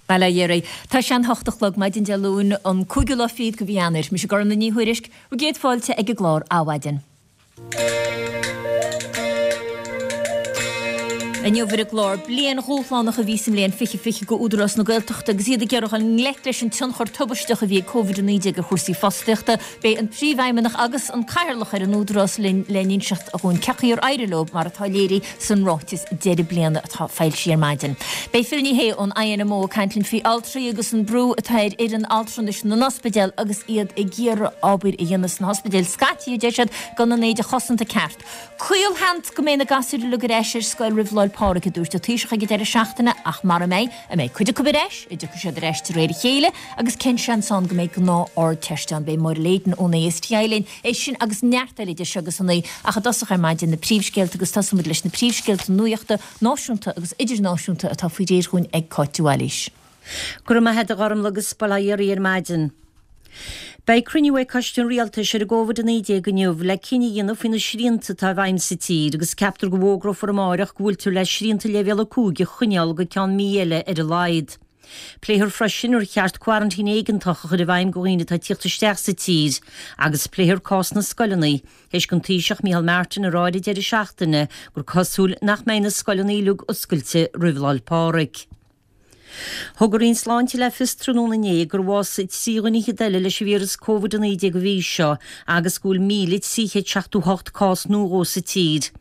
Bail ó Dhia oraibh. Tá sé an hocht a chlog maidin Dé Luain, an cúigiú lá fichead de mhí Eanáir. Mise Gormfhlaith Ní Thuairisg, bhur gcéad fáilte ag an gclár Adhmhaidin. Inniu ar an gclár, bliain dhúshlánach a bhí sa mbliain 2020 do Údarás na Gaeltachta agus iad ag iarraidh dul i ngleic leis an tionchar tubaisteach a bhí ag Covid-19 ar chúrsaí fostaíochta. Beidh an Príomhfheidhmeannach agus an Cathaoirleach ar an Údarás linn le n-inseacht dhúinn cén chaoi ar éirigh leo mar atá léirithe san ráiteas deireadh bliana atá foilsithe ar maidin. Beidh Phil Ní Sheaghdha ón INMO ag caint linn faoi altraí agus an brú atá ar fhoireann altranais na n-ospidéal agus iad ag iarraidh obair a dhéanamh sna hospidéil scaití, a deir siad, gan an éide chosanta ceart. Caolsheans go mbeidh na gasúir uilig ar ais ar scoil roimh Lá'l Pádraig, a dúirt an Taoiseach ag an deireadh seachtaine, ach mara mbeidh, an mbeidh cuid acu ar ais, an dtiocfaidh siad ar ais de réir a chéile, agus cén seans ann go mbeidh gnáth-Ardteist ann? Beidh Máire Leyden ón ASTI linn, é sin agus neart eile idir seo agus a naoi, ach i dtosach ar maidin, na príomhscéalta agus tosóidh muid leis na príomhscéalta nuachta, náisiúnta agus idirnáisiúnta atá faoi réir dhúinn ag Cáit de Bhailís. Go raibh maith agat a Ghormfhlaith agus bail ó Dhia oraibh ar maidin. Beidh cruinniú ag Coiste an Rialtais ar an gCóvid-19 inniu le cinneadh a dhéanamh faoi na srianta atá i bhfeidhm sa tír agus ceaptar go bhfógrófar amáireach go bhfuiltear le srianta Leibhéal 5 a choinneáil go ceann mí eile ar a laghad. Pléifear freisin ar cheart coraintín éigeantach a chur i bhfeidhm do dhaoine atá ag tíocht isteach sa tír agus pléifear cás na scoileanna théis don Taoiseach Micheál Martin a rá ar an deireadh seachtaine gur cosúil nach mbeidh na scoileanna uilig oscailte roimh Lá'l Pádraig. Thug an Roinn Sláinte le fios tráthnóna inné gur bhásaigh 3 dhuine fhichead eile leis an víreas Covid-19 an mhí seo agus go bhfuil 1,378 cás nua dhó sa tír.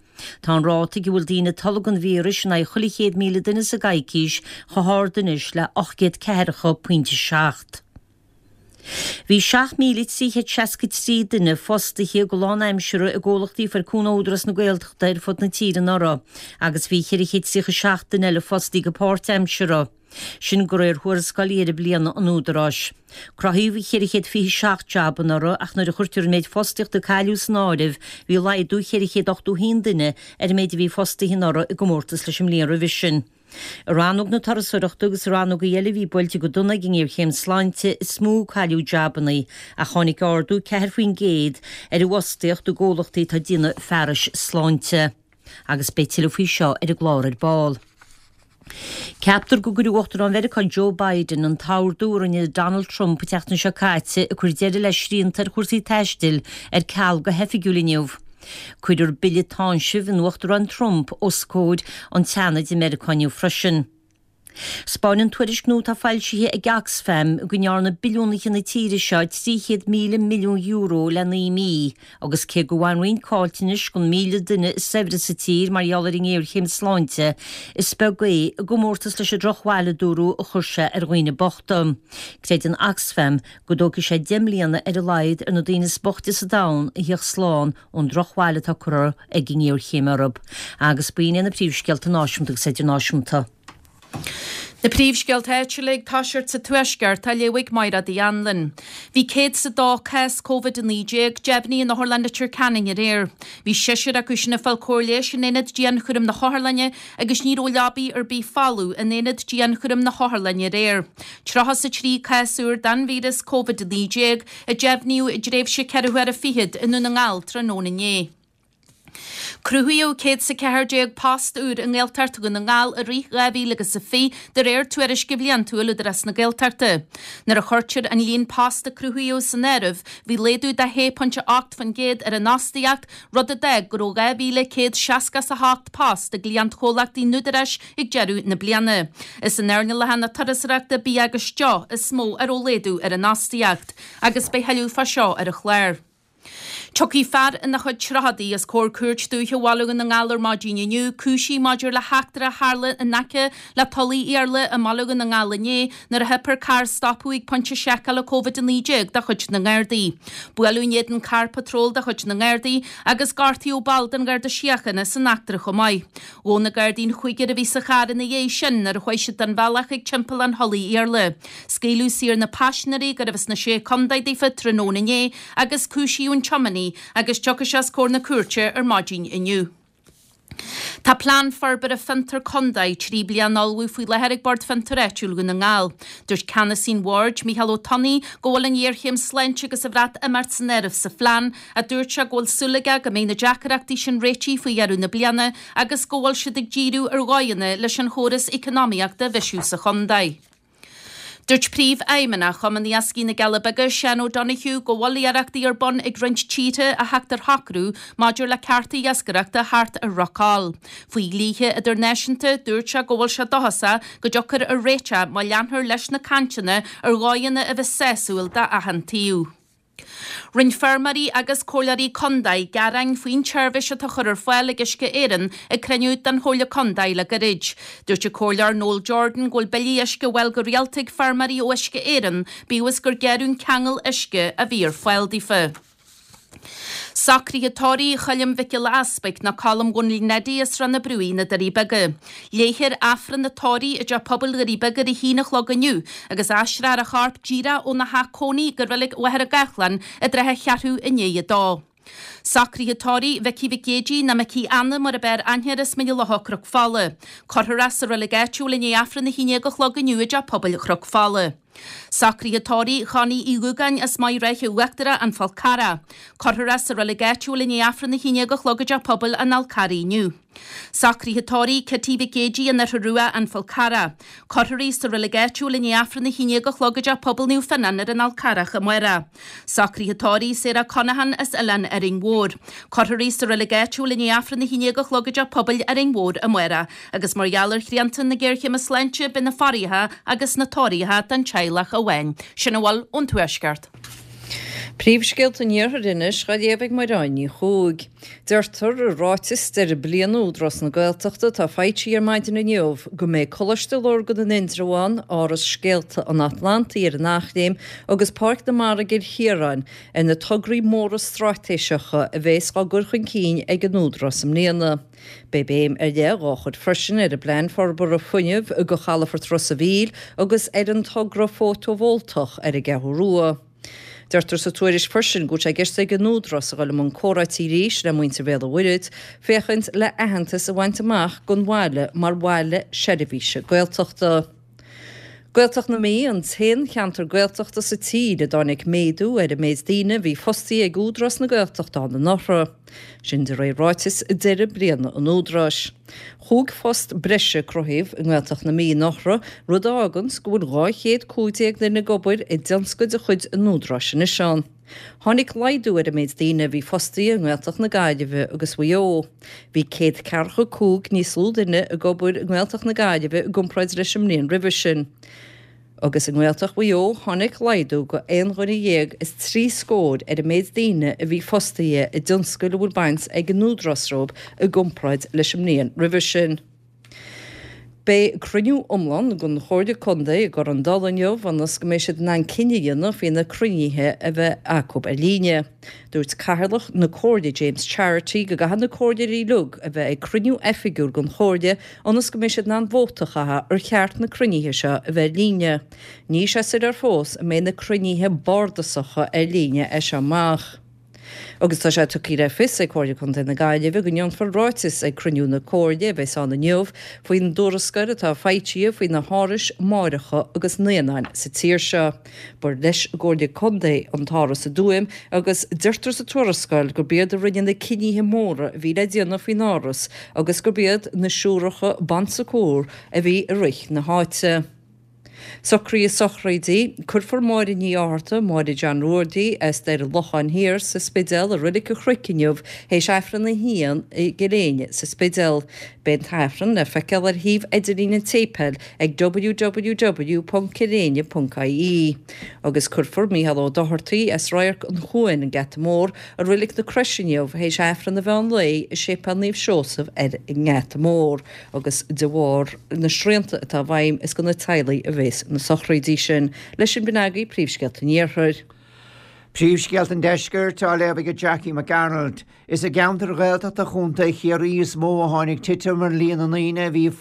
Tá an ráta ag a bhfuil daoine ag tolg an víris in aghaidh chuile 100,000 duine sa gcoicís chomh hard anois le 840.7. Bhí 7,363 duine fostaithe go lánaimseartha i gcomhlachtaí a fuair cúnamh ó Údarás na Gaeltachta ar fud na tíre anuraidh agus bhí 437 duine eile fostaithe go páirtaimseartha. Sin de réir thuarascáil dheireadh bliana an Údaráis. Cruthaíodh 427 jab anuraidh ach nuair a chuirtear an méid fostaíochta a cailleadh san áireamh bhí laghdú 481 duine ar an méid a bhí fostaithe anuraidh i gcomórtas leis an mbliain roimhe sin. I rannóg na turasóireachta agus i rannógaí eile a bhí buailte go dona ag an ngéarchéim sláinte is mó a cailleadh jabanna ach tháinig ardú 4% ar an bhfostaíocht i gcomhlachtaí atá ag déanamh fearais sláinte. Agus beidh tuilleadh faoi seo ar an gclár ar ball. Ceaptar go gcuirfidh Uachtarán Mheiriceá Joe Biden an t-ordú a rinne Donald Trump an tseachtain seo caite ag cur deireadh le srianta ar chúrsaí taistil ar ceal go hoifigiúil inniu. Cuirfear bille táinsimh an Uachtaráin Trump os comhair an tSeanaid i Meiriceá inniu freisin. 'Spáineann tuairisc nua atá foilsithe ag Oxfam go ndearna billiúnaithe na tíre seo €300,000 milliún le 9 mí agus cé gur bhain roinnt caillteanais don 1,000 duine is saibhre sa tír mar gheall ar an ngéarchéim sláinte, is beag é i gcomórtas leis an drochbhail a dúradh a chuir sé ar dhaoine bochta. Creideann Oxfam go dtógfaidh sé 10 mbliana ar a laghad ar na daoine is boichte sa domhan a thíocht slán ón drochbhail atá curtha ag an ngéarchéim orthu. Agus b'in iad na príomhscéalta náisiúnta agus idirnáisiúnta. Na príomhscéalta áitiúla ag toiseacht sa Tuaisceart á léamh ag Mairéad Uí Anluain. Bhí 102 cás Covid-19 deimhnithe in Otharlann Leitir Ceanainn aréir. Bhí seisear acu sin ag fáil cóir leighis in aonad dianchúraim na hotharlainne agus ní raibh leabaí ar bith folamh in aonad dianchúraim na hotharlainne aréir. 33 cás úr den víreas Covid-19 a deimhníodh i dtréimhse ceithre huaire fichead i nDún na nGall tráthnóna inné. Cruthaíodh 114 post úr i nGaeltacht Dhún na nGall i rith 2020 de réir tuairisce bhliantúil Údarás na Gaeltachta. Nuair a chuirtear an líon post a cruthaíodh san áireamh, bhí laghdú de 6.8% ar an fhostaíocht, rud a d'fhág go raibh 2,168 post i gcliantchomhlachtaí an Údaráis ag deireadh na bliana. Is in earnálacha na turasóireachta, bia agus deoch is mó a raibh laghdú ar an fhostaíocht. Agus beidh thuilleadh fá seo ar an chlár. Tiocfaidh fear ina chuid tríochadaí os comhair Cúirt Dúiche Bhaile Dhún na nGall ar maidin inniu, cúisithe maidir le heachtra a tharla in aice le Tulaigh Iarla i mBaile Dhún na nGall inné nuair a theip ar carr stopadh ag pointe seiceála Covid-19 de chuid na nGardaí. Buaileadh in éadan carr patróil de chuid na nGardaí agus gortaíodh ball den Gharda Síochána san eachtra chomh maith. Ghabh na Gardaí an cúigear a bhí sa charr ina dhiaidh sin nuair a chuaigh siad den bhealach ag timpeallán Thulaigh Iarla. Scaoileadh saor na paisinéirí, gurbh as na Sé Contae daofa, tráthnóna inné agus cúisíodh an tiománaí agus tiocfaidh sé os comhair na cúirte ar maidin inniu. Tá Plean Forbartha Fiontar Contae 3 bliana á ullmhú faoi láthair ag Bord Fiontair Áitiúil Dhún na nGall. Dúirt ceannasaí an bhoird, Micheál Ó Tonnaigh, go bhfuil an ghéarchéim sláinte agus an Bhreatimeacht san áireamh sa phlean ach dúirt sé go bhfuil súil aige go mbeidh na deacaireachtaí sin réitithe faoi dheireadh na bliana agus go bhfuil siad ag díriú ar dhóigheanna leis an chóras eacnamaíochta a bhisiú sa chontae. Dúirt Príomhfheidhmeannach Chumann Iascaigh na gCealla Beaga, Seán O'Donoghue, go bhfuil iarrachtaí ar bun ag roinnt tíortha a theacht ar shocrú maidir le cearta iascaireachta thart ar Ráth Coll. Faoi dhlíthe idirnáisiúnta, dúirt sé go bhfuil sé dóchasach go dtiocfar ar réiteach má leanfar leis na cainteanna ar dhóigheanna a bheas sásúil d'achan taobh. Rinne feirmeoirí agus comhairleoirí contae gearáin faoin tseirbhís atá á chur ar fáil ag Uisce Éireann ag cruinniú den Chomhairle Contae le gairid. Dúirt an Comhairleoir Noel Jordan go bhfuil billí uisce á bhfáil go rialta ag feirmeoirí ó Uisce Éireann, bíodh is gur gearradh an ceangal uisce a bhí ar fáil daofa. Socruithe tórraimh Choilm Mhic Giolla Easpaig nó Colm Dhónaill Neidí as Srath na Brúigh, na Doirí Beaga. Léifear Aifreann an tórraimh i dTeach Pobail Dhoirí Beaga ar a haon a chlog inniu agus aistreofar a chorp díreach óna theach cónaí go Reilig Mhachaire Gathlán i dtrátha a cheathrú i ndiaidh a dó. Socruithe tórraimh Mhicí Mhic Géidigh nó Micí Anna mar ab fhearr aithne air as Mín an Locha Cnoc Fola. Cuirfear é sa reilig áitiúil i ndiaidh Aifreann a haon déag a chlog inniu i dTeach Pobail Chnoc Fola. Socruithe tórraimh Chonnie Uí Dhúgáin as Maigh Ráithe Uachtarach, An Fál Carrach. Cuirfear é sa reilig áitiúil i ndiaidh Aifreann a haon déag a chlog i dTeach Pobail an Fháil Charraigh inniu. Socruithe tórraimh Kitty Mhic Géidigh, An Fhoirche Rua, An Fál Carrach. Cuirfear í sa reilig áitiúil i ndiaidh Aifreann a haon déag a chlog i dTeach Pobail Naomh Fionnán ar an Fhál Carrach amárach. Socruithe tórraimh Sarah Conaghan as Oileán Árainn Mhór. Cuirfear í sa reilig áitiúil i ndiaidh Aifreann a haon déag a chlog i dTeach Pobail Árainn Mhór amárach. Agus mar gheall ar shrianta na géarchéime sláinte beidh na faireacha agus na tórraimh don teaghlach amháin. Sin a bhfuil ón Tuaisceart. Príomhscéalta an Iarthair anois á léamh ag Mairéad Ní Chuaig. Deirtear i ráiteas deireadh bliana Údarás na Gaeltachta atá foilsithe ar maidin inniu go mbeidh Coláiste Lurgan in Indreabhán, Áras Scéalta an Atlantaigh ar an Eachléim agus Páirc na Mara i gCill Chiaráin ar na tograí móra straitéiseacha a bheas á gcur chun cinn ag an Údarás i mbliana. Beidh béim ar leith dhá chur freisin ar an bPlean Forbartha Fuinnimh do Chalafort Ros a' Mhíl agus ar an togra fótabhóltach ar an gCeathrú Rua. Deirtear sa tuairisc freisin go bhfuil sé i gceist ag an Údarás a dhul i mbun comhráití arís le muintir Bhéal an Mhuirthead féachaint le aitheantas a bhaint amach don bhaile mar bhaile seirbhíse Gaeltachta. Gaeltacht na Mí an t-aon cheantar Gaeltachta sa tír a dtáinig méadú ar an méid daoine a bhí fostaithe ag Údarás na Gaeltachta ann anuraidh. Sin de réir ráiteas deireadh bliana an Údaráis. Chúig phost breise a cruthaíodh i nGaeltacht na Mí anuraidh, rud a fháganns go bhfuil 215 duine ag obair i dtionscail de chuid an Údaráis anois ann. Tháinig laghdú ar an méid daoine a bhí fostaithe i nGaeltacht na Gaillimhe agus Mhaigh Eo. Bhí 145 níos lú duine ag obair i nGaeltacht na Gaillimhe i gcomparáid leis an mbliain roimhe sin. Agus i nGaeltacht Mhaigh Eo tháinig laghdú go aon dhuine dhéag is trí scór ar an méid daoine a bhí fostaithe i dtionscail a bhfuil baint ag an Údarás leo i gcomparáid leis an mbliain roimhe sin. Beidh cruinniú iomlán den Chomhairle Contae i gCorr an Dalla inniu ionas go mbeidh siad in ann cinneadh a dhéanamh faoi na cruinnithe a bheith acu ar líne. Dúirt Cathaoirleach na Comhairle James Charity go gcaithfidh na comhairleoirí uilig a bheith ag cruinniú oifigiúil den Chomhairle ionas go mbeidh siad in ann vóta a chaitheamh ar cheart na cruinnithe seo a bheith ar líne. Níl sé soiléir fós an mbeidh na cruinnithe bardasacha ar líne as seo amach. Agus tá sé tugtha le fios ag Comhairle Contae na Gaillimhe go ndéanfar ráiteas ag cruinniú na Comhairle a bheas ann inniu faoin dtuarascáil atá foilsithe faoi na hárais máithreacha agus naíonáin sa tír seo. Ba leis an gComhairle Contae an t-áras i dTuaim agus deirtear sa tuarascáil gurb iad a rinne na cinnithe móra a bhí le déanamh faoin áras agus gurb iad na siúracha Bon Secours a bhí ag rith na háite. Socruithe sochraidí, Cuirfear Máire Ní Fhátharta, Máire John Ruairí, as Doire Locháin Thiar sa Spidéal i Reilig an Chnoic inniu théis Aifreann a haon i gCill Éinne sa Spidéal. Beidh an tAifreann le feiceáil ar shuíomh idirlín an tséipéil ag www.cilléinne.ie. Agus cuirfear Mícheál Ó Dochartaigh as Radharc an Chuain, an Geata Mór, i Reilig na Croise inniu théis Aifreann an mheán lae i Séipéal Naomh Seosamh ar an nGeata Mór. agus de bharr na srianta atá i bhfeidhm is do na teaghlaigh a bhéas na sochraidí sin. Leis sin b'in agaibh príomhscéalta an Iarthair. Príomhscéalta an Deiscirt á léamh ag Jackie McArnold. Is i gceantair Ghaeltachta Chontae Chiarraí is mó a tháinig titim ar líon na ndaoine a bhí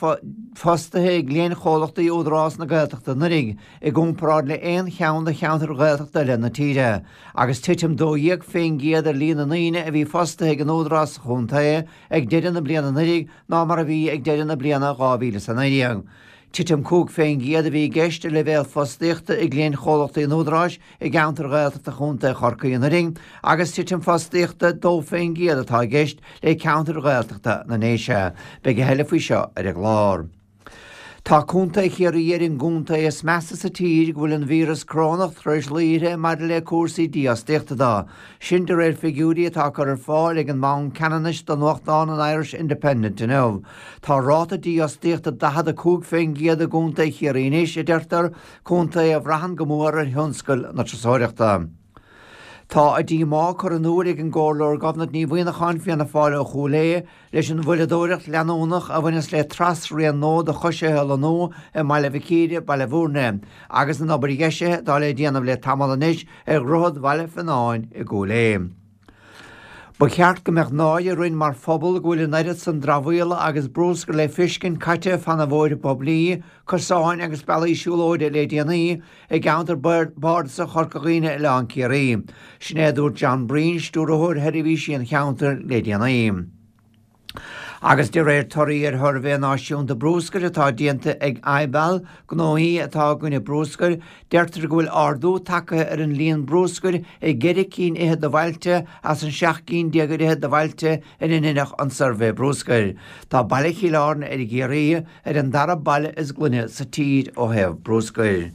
fostaithe i gcliantchomhlachtaí Údarás na Gaeltachta anuraidh i gcomparáid le aon cheann de cheantair Ghaeltachta eile na tíre, agus titim 12% ar líon na ndaoine a bhí fostaithe ag an Údarás sa chontae ag deireadh na bliana anuraidh ná mar a bhí ag deireadh na bliana 2019. Titim 5% a bhí i gceist i leibhéal fostaíochta i gcliantchomhlachtaí an Údaráis i gceantair Ghaeltachta Chontae Chorcaí anuraidh agus titim fostaíochta 2% atá i gceist le ceantair Ghaeltachta na nDéise. Beidh a thuilleadh faoi seo ar an gclár. Tá Contae Chiarraí ar an gcontae is measa sa tír go bhfuil an víreas corónach tar éis luí uirthi maidir le cúrsaí dífhostaíochta de. Sin de réir figiúirí atá curtha ar fáil ag an mBanc Ceannanais do nuachtán an Irish Independent inniu. Tá ráta dífhostaíochta 45% i gContae Chiarraí anois, a deirtear, contae a bhraitheann go mór ar thionscal na turasóireachta. Tá a díomá curtha in iúl ag an gComhairleoir Gobnait Ní Mhuineacháin, Fianna Fáil ó Chúil Aodha, leis an mhoilleadóireacht leanúnach a bhaineas le trasrian nua do choisithe a lonnú i mBaile Mhic Íre, Baile Bhúirne, agus an obair dheisithe atá le déanamh le tamall anois ar Dhroichead Bhaile Fionáin i gCúil Aodha. Ba cheart go mbeadh náire orainn mar phobal go bhfuil an oiread san dramhaíola agus brúscair le feiscint caite fana bhóithre poiblí, cosáin agus bealaí siúlóide le déanaí i gceantar bardasach Chorca Dhuibhne, Oileán Ciarraí. Sin é a dúirt John Breen, Stiúrthóir Sheirbhísí an Cheantair le déanaí. Agus de réir torthaí ar shuirbhé náisiúnta brúscair atá déanta ag IBAL, gnóthaí atá i gcoinne brúscair, deirtear go bhfuil ardú tagtha ar an líon brúscair i gceithre cinn fhichead de bhailte as an 17 gcinn fhichead de bhailte ina ndeineadh an suirbhé brúscair. Tá baile Chill Airne i gCiarraí ar an dara baile is glaine sa tír ó thaobh brúscair.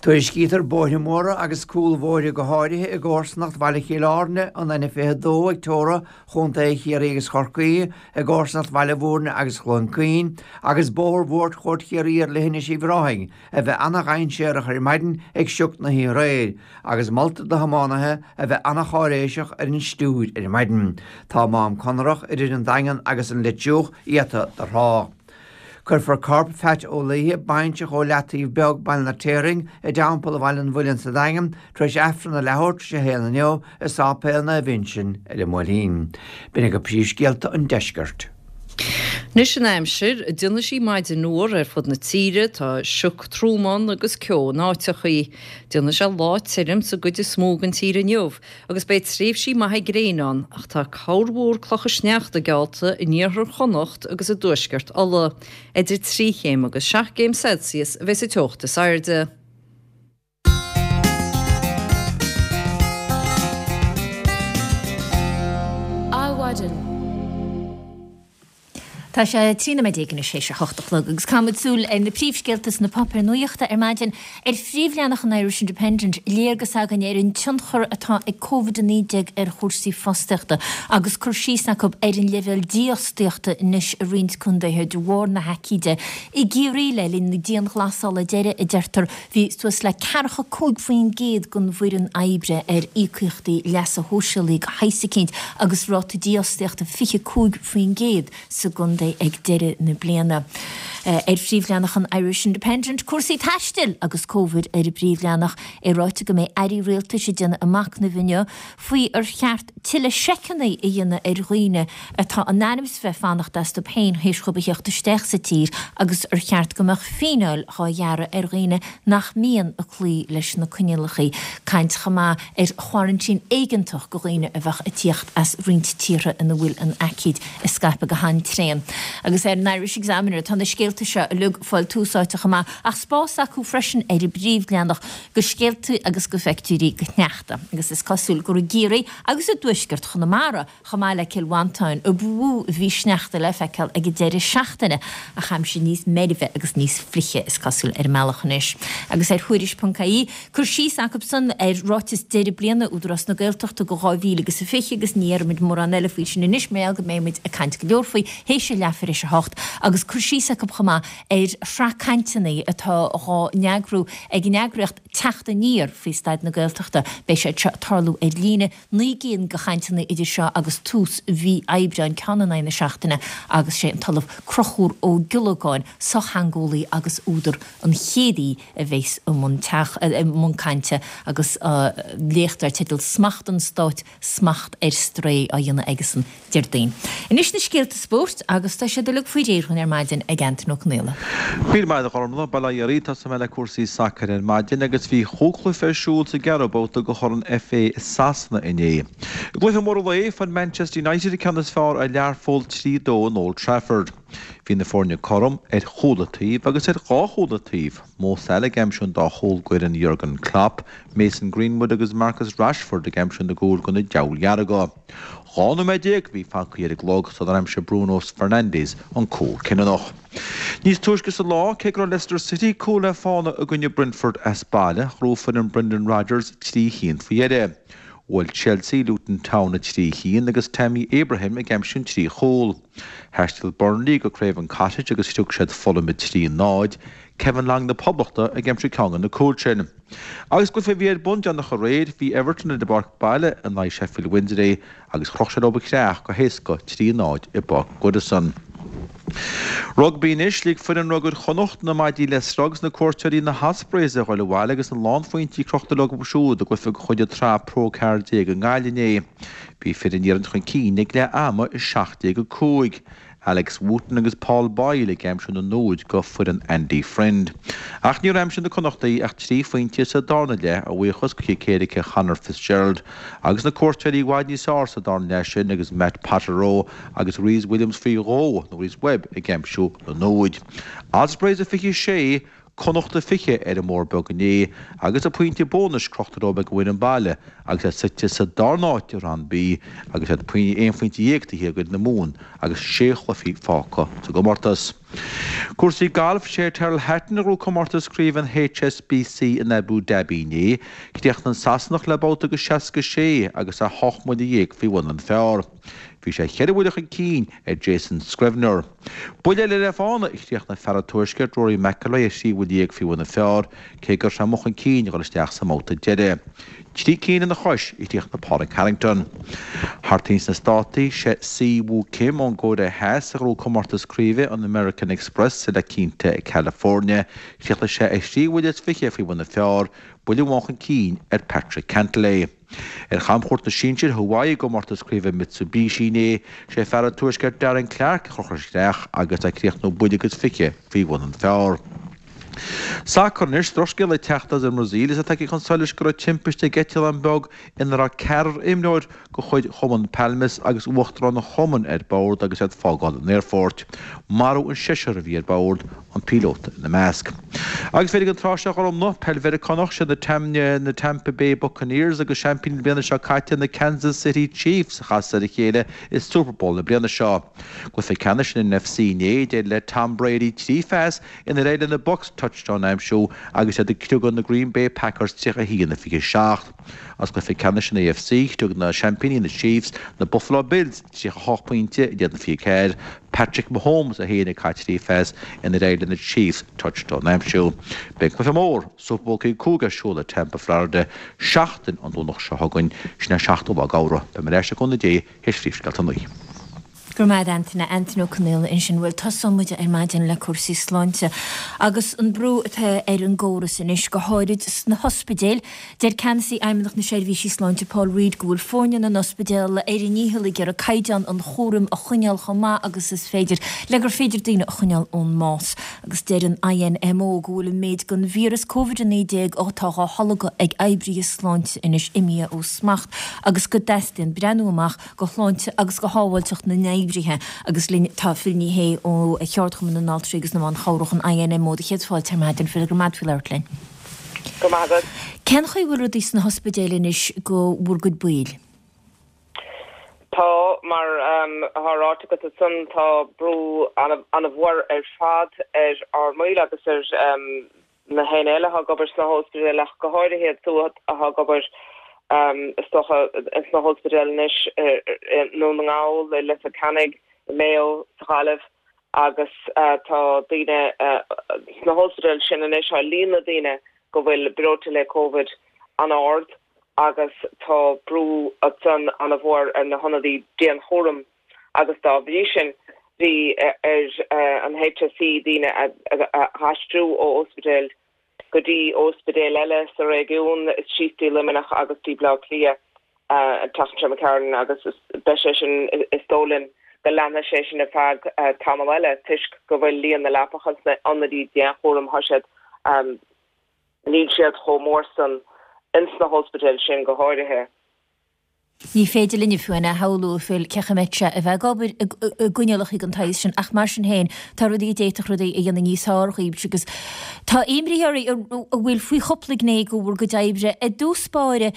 Tuairiscítear bóithre móra agus cúlbhóithre go háirithe i gcomharsanacht Bhaile Chill Airne, an N22 ag teora Chontae Chiarraí agus Chorcaí, i gcomharsanacht Bhaile Bhúirne agus Chluain Caoin, agus Bóthar Bhuairtchuairt Chiarraí ar Leithinis Uíbh Ráthaigh a bheith ana-dhainséarach ar maidin ag sioc na hoíche aréir, agus moltar do thiománaithe a bheith ana-cháiréiseach ar an stiúir ar maidin. Tá Mám Conrach idir an Daingean agus an Leitriúch iata do thrácht. Cuirfear corp Pheait Ó Laoithe, bainseach ó Leataobh Beag, Baile an Fheirtéaraigh, i dTeampall Bhaile an Mhuilinn sa Daingean, tar éis Aifreann a leathuair tar éis a haon inniu i Sáipéal Naomh Uinseann ar an mBuailtín. B'in agaibh príomhscéalta an deiscirt. Anois an aimsir, déanfaidh sí maidin fhuar ar fud na tíre, tá sioc trom ann agus ceo in áiteachaí. Déanfaidh sé lá tirim sa gcuid is mó den tír inniu agus beidh tréimhsí maithe gréine ann ach tá corrmhúr clocha sneachta geallta in iarthar Chonnacht agus i dtuaisceart Uladh. Idir 3 chéim agus 7 gcéim Celsius a bheas an teocht is airde. Adhmhaidin. Tá sé 13 nóiméad anois théis a hocht a chlog agus caithfimid súil ar na príomhscéalta sna páipéir nuachta ar maidin. Ar phríomhleathanach an Irish Independent, léargas againn ar an tionchar atá ag Covid-19 ar chúrsaí fostaíochta agus cur síos acu ar an leibhéal dífhostaíochta anois i roinnt contaetha de bharr na haicíde. I gCiarraí le linn na dianghlasála deiridh, a deirtear, bhí suas le 45% den bhfoireann oibre ar íocaíochtaí leasa shóisialaigh de shaghas eicínt agus ráta dífhostaíochta 25% sa gcontae ag deireadh na bliana. Ar phríomhleathanach an Irish Independent, cúrsaí taistil agus Covid ar an bpríomhleathanach, é ráite go mbeidh airí rialtais ag déanamh a machnaimh inniu faoi ar cheart tuilleadh seiceanna a dhéanamh ar dhaoine atá in ainm is bheith fanacht astu féin théis dhóibh a theacht isteach sa tír agus ar cheart go mbeadh fíneáil dhá ghearradh ar dhaoine nach mbíonn ag cloí leis na coinníollacha. Caint chomh maith ar choraintín éigeantach go dhaoine a bheadh ag tíocht as roinnt tíortha ina bhfuil an aicíd ag scaipeadh go han-tréan. Agus ar an Irish Examiner tá na scéalta seo uilig ag fáil tús áite chomh maith, ach spás acu freisin ar an bpríomhleathanach go scéalta agus go phictiúirí go shneachta. Agus is cosúil gur i gCiarraí agus i dtuaisceart Chonamara Chomh maith le Cill Mhantáin, a ba mhó a bhí sneachta le feiceáil ag an deireadh seachtaine, ach aimsir níos meirbhe agus níos fliche, is cosúil, ar an mbealach anois. Agus ar Thuairisc.ie, cur síos acusan ar ráiteas deireadh bliana Údarás na Gaeltachta go 2000 agus a 20 agus ní dhéarfaimid mórán eile faoi sin anois mar gheall go mbeidh muid ag caint go leor faoi théis a leathuair théis a hocht agus cur síos acu chomh maith ar shraith cainteanna atá dhá n-eagrú ag an eagraíocht Teacht Aniar faoi staid na Gaeltachta. Beidh siad seo ag tarlú ar líne. 9 gcinn de chainteanna idir seo agus tús mhí Aibreáin, ceann in aghaidh na seachtaine, agus sé an tOllamh Conchúr Ó Giollagáin, sochtheangeolaí agus údar, an chéad aoi a bheas i mbun i mbun cainte agus léacht dar teideal 'Smacht an Stáit, Smacht ar Strae' á dhéanamh aigesan. Déardaoin. Anois na scéalta spóirt agus tá siad uilig faoi réir dhúinn ar maidin ag Antain Ó Conaola. Míle maith agat a Ghormfhlaith, bail ó Dhia oraibh, tosóidh mé le cúrsaí sacair ar maidin agus bhí chúig chluiche ar siúl sa gceathrú babhta de Chorn FA i Sasana inné. I gcluiche mór an lae, fuair Manchester United an ceann is fearr ar Learpholl 3, 2 in Old Trafford. Bhí na foirne cothrom ar chúla taobh agus ar dhá chúla taobh, Mo Salah ag aimsiú an dá chúl d'fhoireann Jurgen Klopp, Mason Greenwood agus Marcus Rashford ag aimsiú na gcúl do na Diabhail Dhearga. 12 nóiméad a bhí fagtha ar an gclog sular aimsigh Bruno Fernandes an cúl cinniúnach. Níos túisce sa lá, cé go raibh Leicester City cúl le fána i gcoinne Brentford as baile, ghnóthaigh foireann Brendan Rodgers 3 cheann faoi dheireadh. Bhuail Chelsea Luton Town 3-1 agus Tammy Abraham ag aimsiú an 3 chúl. Thaistil Burnley go Craven Cottage agus scrios siad Fulham 3-0, Kevin Long na Poblachta ag aimsiú ceann de na cúil sin. Agus cluiche a bhí ar bun déanach aréir, bhí Everton ar a bpáirc baile in aghaidh Sheffield Wednesday agus chroch siad leo an chreach go héasca 3-0 i bPáirc Goodison. Rugbaí anois, lig foireann rugair Chonnacht na maidí le sruth agus na cuairteoirí na hOspreys a ghoil abhaile agus a lánphointí crochta leo siúd i gcluiche de chuid an tSraith Pro 14 i nGaillimh inné. Bhí fir an iarainn chun cinn ag leath ama 17-5. Alex Wootton agus Paul Boyle ag aimsiú na n-úd go foireann Andy Friend. Ach níor aimsigh na Connachtaigh ach 3 phointe sa darna leath a bhuíochas go chic éirice Chonor Fitzgerald agus na cuairteoirí i bhfad níos fearr sa darna leath sin agus Matt Potterow agus Rhys Williams faoi dhó nó Rhys Webb ag aimsiú na n-úd. Ospreys 26, Connachta 20 ar an mBóthar Beag inné agus an pointe bónais crochta leo ag an bhfoireann baile agus iad suite sa darna háit i Roinn B agus iad aon phointe dhéag taobh thiar d'fhoireann na Mumhan agus sé chluiche fágtha sa gcomórtas. Cúrsaí gailf, Sé Tyrrell Hatton a ghnóthaigh comórtas craoibhe an HSBC in Abu Dhabi inné. Chríochnaigh an Sasanach le babhta de 66 agus é 18 mbuille faoi bhun an phar. Bhí sé cheithre bhuille chun cinn ar Jason Scrivener. Buille eile le fána, chríochnaigh fear an Tuaiscirt, Rory McIlroy, ar thrí bhuille dhéag faoi bhun an phar, cé go raibh sé amuigh chun cinn a dhul isteach sa mbabhta deiridh. Trí cinn ina chois, a chríochnaigh Pádraig Harrington. Thart ins na Státaí, sé Si Woo Kim ón gCóiré Theas a ghnóthaigh comórtas craoibhe an American Express i La Quinta i California. Chríochnaigh sé ar thrí bhuille is fiche faoi bhun an phar, buille amháin chun cinn ar Patrick Cantlay. Ar chamchuairt na sinsear Hawaii i gcomórtas craoibhe Mitsubishi inné, sé fear an Tuaiscirt Darren Clarke a chroch an chreach agus é ag críochnú buille agus fiche faoi bhun an phar. Sacar anois, drochscéala ag teacht as an mBrasaíl is é tagtha chun solais go raibh timpiste ag eitleán beag ina raibh ceathrar imreoir de chuid chumann Palmeiras agus uachtarán an chumainn ar bord agus iad ag fágáil an aerfoirt. Maraíodh an seisear a bhí ar bord, an píolóta ina measc. Agus b'fhéidir an tráth seo a Ghormfhlaith, peil Mheiriceánach, siad na Tampa Bay Buccaneers agus seaimpíní na bliana seo caite, na Kansas City Chiefs, a chasas ar a chéile i Super Bowl na bliana seo. Cluiche ceannais an NFC inné, d'éirigh le Tom Brady 3 phas inar éirigh le na Bucs touchdown a aimsiú agus iad ag criogadh na Green Bay Packers 31-27. As cluiche ceannais an AFC, chriog na seaimpíní, na Chiefs, na Buffalo Bills 38 pointe in éadan 24, Patrick Mahomes é féin ag caitheamh 3 phas inar éirigh le na Chiefs touchdown a aimsiú. Beidh cluiche mór, Super Bowl 55 ar siúl i Tampa, Florida, seachtain an Domhnach seo chugainn, sin é 7ú lá d'Fheabhra. Beidh mé ar ais le cúnamh Dé théis phríomhscéalta a naoi. Go raibh maith agat Antaine, Antaine Ó Conaola ansin. Bhuel, tosóidh muid ar maidin le cúrsaí sláinte agus an brú atá ar an gcóras anois, go háirid sna hospidéil. Deir Ceannasaí Fheidhmeannacht na Seirbhísí Sláinte Paul Reid go bhfuil foirne na n-ospidéal ar a ndícheall ag iarraidh caighdeán an chúraim a choinneáil chomh maith agus is féidir le gur féidir daoine a choinneáil ón mbás. Agus deir an INMO go bhfuil an méid den víreas Covid-19 atá dhá tholgadh ag oibrithe sláinte anois imithe ó smacht agus go dteastaíonn breathnú amach go shláinte agus go shábháilteacht na n-oibrithe agus linn tá Phil Ní Sheaghdha ó Cheardchumann na nAltraí agus na mBan Chabhrach, an INMO. Do chéad fáilte ar maidin, Phil, go raibh maith agat faoi labhairt linn. Go raibh maith agat. Cén chaoi a bhfuil rudaí sna hospidéil anois go bhur gcuid baill? Tá, mar atá ráite agat ansan, tá brú an-mhór ar fad ar ár mbaill agus ar na héinne eile atá ag obair sna hóspidéil ach go háirithe iad siúd atá ag obair is dócha sna hóspidéil anois i nDún na nGall, i Leitir Ceanainn, i Mayo, sa Ghaillimh agus tá daoine sna hóspidéil sin anois, tá líon na daoine go bhfuil breoite le Covid an-ard agus tá brú ansan an-mhór ar na hionadaí dianchúraim. agus dá bhrí sin bhí ar an HSE daoine a aistriú ó ospidéil go dtí ospidéil eile sa réigiún, síos dtí Luimneach agus dtí Baile Átha Cliath an tseachtain seo imigh tharainn agus beidh sé sin, is dóigh linn, go leanfaidh sé sin ar feadh tamall eile toisc go bhfuil líon na leapacha sna hionadaí dianchúraim, tá siad, níl siad chomh mór san ins na hóspidéil sin go háirithe. Ní féidir linne fiú a shamhlú, a Phil, cén chaoi a mbeadh sé a bheith ag obair i gcoinníollacha den tsaghas sin ach mar sin féin tá rudaí a d'fhéadfadh rudaí a dhéanamh níos fearr dhaoibhse agus tá imní oraibh a bhfuil faoi chúpla gné de bhur gcuid oibre. I dtús báire,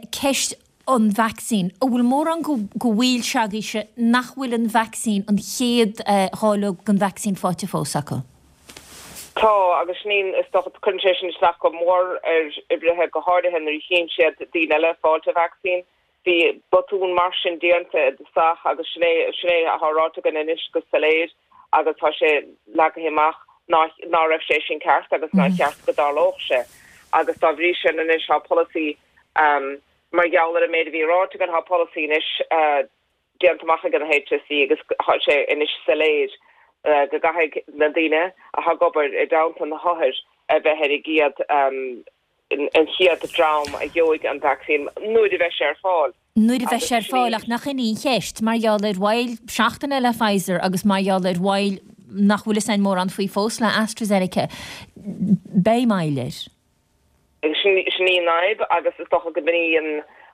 ceist. An vacsaín. An bhfuil mórán de bhaill s'agaibhse nach bhfuil an vacsaín, an chéad dháileog den vacsaín faighte fós acu? Tá, agus sin í, is dócha, cuireann sé sin isteach go mór ar oibrithe, go háirithe nuair a chíonn siad daoine eile ag fáilt an vacsaín. Bhí botún mar sin déanta i dtosach agus sin é, sin é atá ráite againn anois go soiléir agus tá sé leagtha amach ná, ná raibh sé sin ceart agus nár cheart go dtarlódh sé. Agus dá bhrí sin anois tá polasaí Mar gheall ar an méid a bhí ráite againn, tá polasaí anois déanta amach ag an HSE agus tá sé anois soiléir go gcaithfidh na daoine atá ag obair i dteannta na hothair a bheith ar an gcéad an chéad dream a gheobhaidh an vacsaín nuair a bheidh sé ar fáil. Nuair a bheidh sé ar fáil, ach nach in í an cheist, mar gheall ar mhoill seachtaine le Pfizer agus mar gheall ar mhoill nach bhfuil fhios a'inn mórán faoi fós le AstraZeneca, beidh moill air. Sin í an fhadhb agus is dócha go b'in í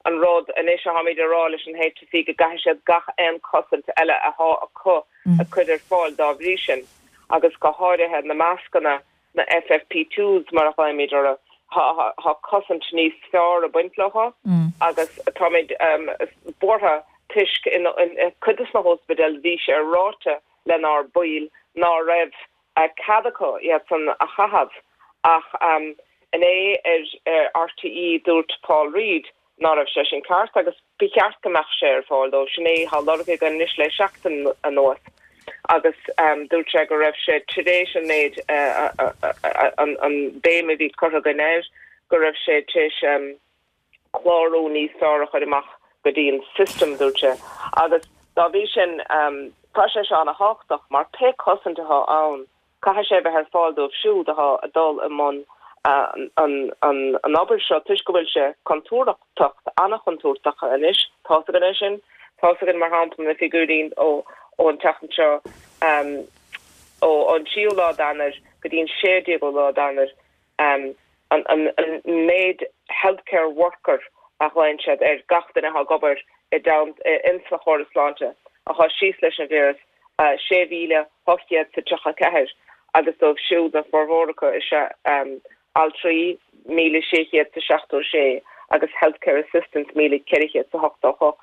an rud anois atáimid a rá leis an HSE go gcaithfidh siad gach aon cosaint eile athá acu a chur ar fáil dá bhrí sin agus go háirithe na mascanna, na FFP2s mar a ghlaoimid orthu, tá cosaint níos fearr ag baint leo agus táimid buartha toisc in cuid de na hóspidéil bhí sé ráite lenár baill ná raibh cead acu iad san a chaitheamh ach inné ar RTÉ dúirt Paul Reid ná raibh sé sin ceart agus ba cheart go mbeadh sé ar fáil dóibh. Sin é atá á lorg againn anois le seachtain anuas agus dúirt sé go raibh sé tar éis an méid an béim a bhí curtha againn air go raibh sé tar éis clárú níos fearr a chur amach go dtí an system, dúirt sé. Agus dá bhrí sin, tá sé seo ana-thábhachtach mar pé cosaint atá ann, caithfidh sé a bheith ar fáil dóibh siúd atá ag dul i mbun an obair seo toisc go bhfuil sé contúirteach, an-chontúirteach anois. Tá's againn é sin. Tá's againn, mar shampla, na figiúirí ón tseachtain seo, ó an tríú lá d'Eanáir go dtí an 16ú lá d'Eanáir, an méid healthcare worker a ghlaonn siad ar gach duine atá ag obair i dteannta ins an chóras sláinte atá síos leis an víreas, 6,834 agus dóibh siúd an formhór acu is ea altraí, 1,676 agus healthcare assistants, 1,488.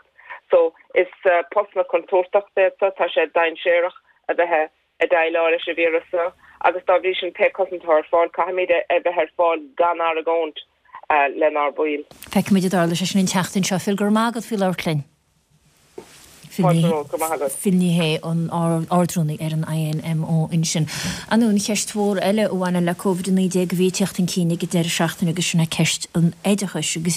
So is postanna contúirteachta iad seo, tá sé dainséarach a bheith ag déileáil leis an víreas seo agus dá bhrí sin pé cosaint atá ar fáil, caithfimid é a bheith ar fáil gan argóint lenár baill. Feicfimid a dtarlóidh sé sin an tseachtain seo. Phil, go raibh maith agat faoi labhairt linn. Fáilte romhat, go raibh maith agat. Phil Ní Sheaghdha, an Ardrúnaí ar an INMO ansin. Ar ndóigh, an cheist mhór eile a bhaineann le Covid-19 a bhí ag teacht chun cinn ag an deireadh seachtaine agus sin é ceist an oideachais agus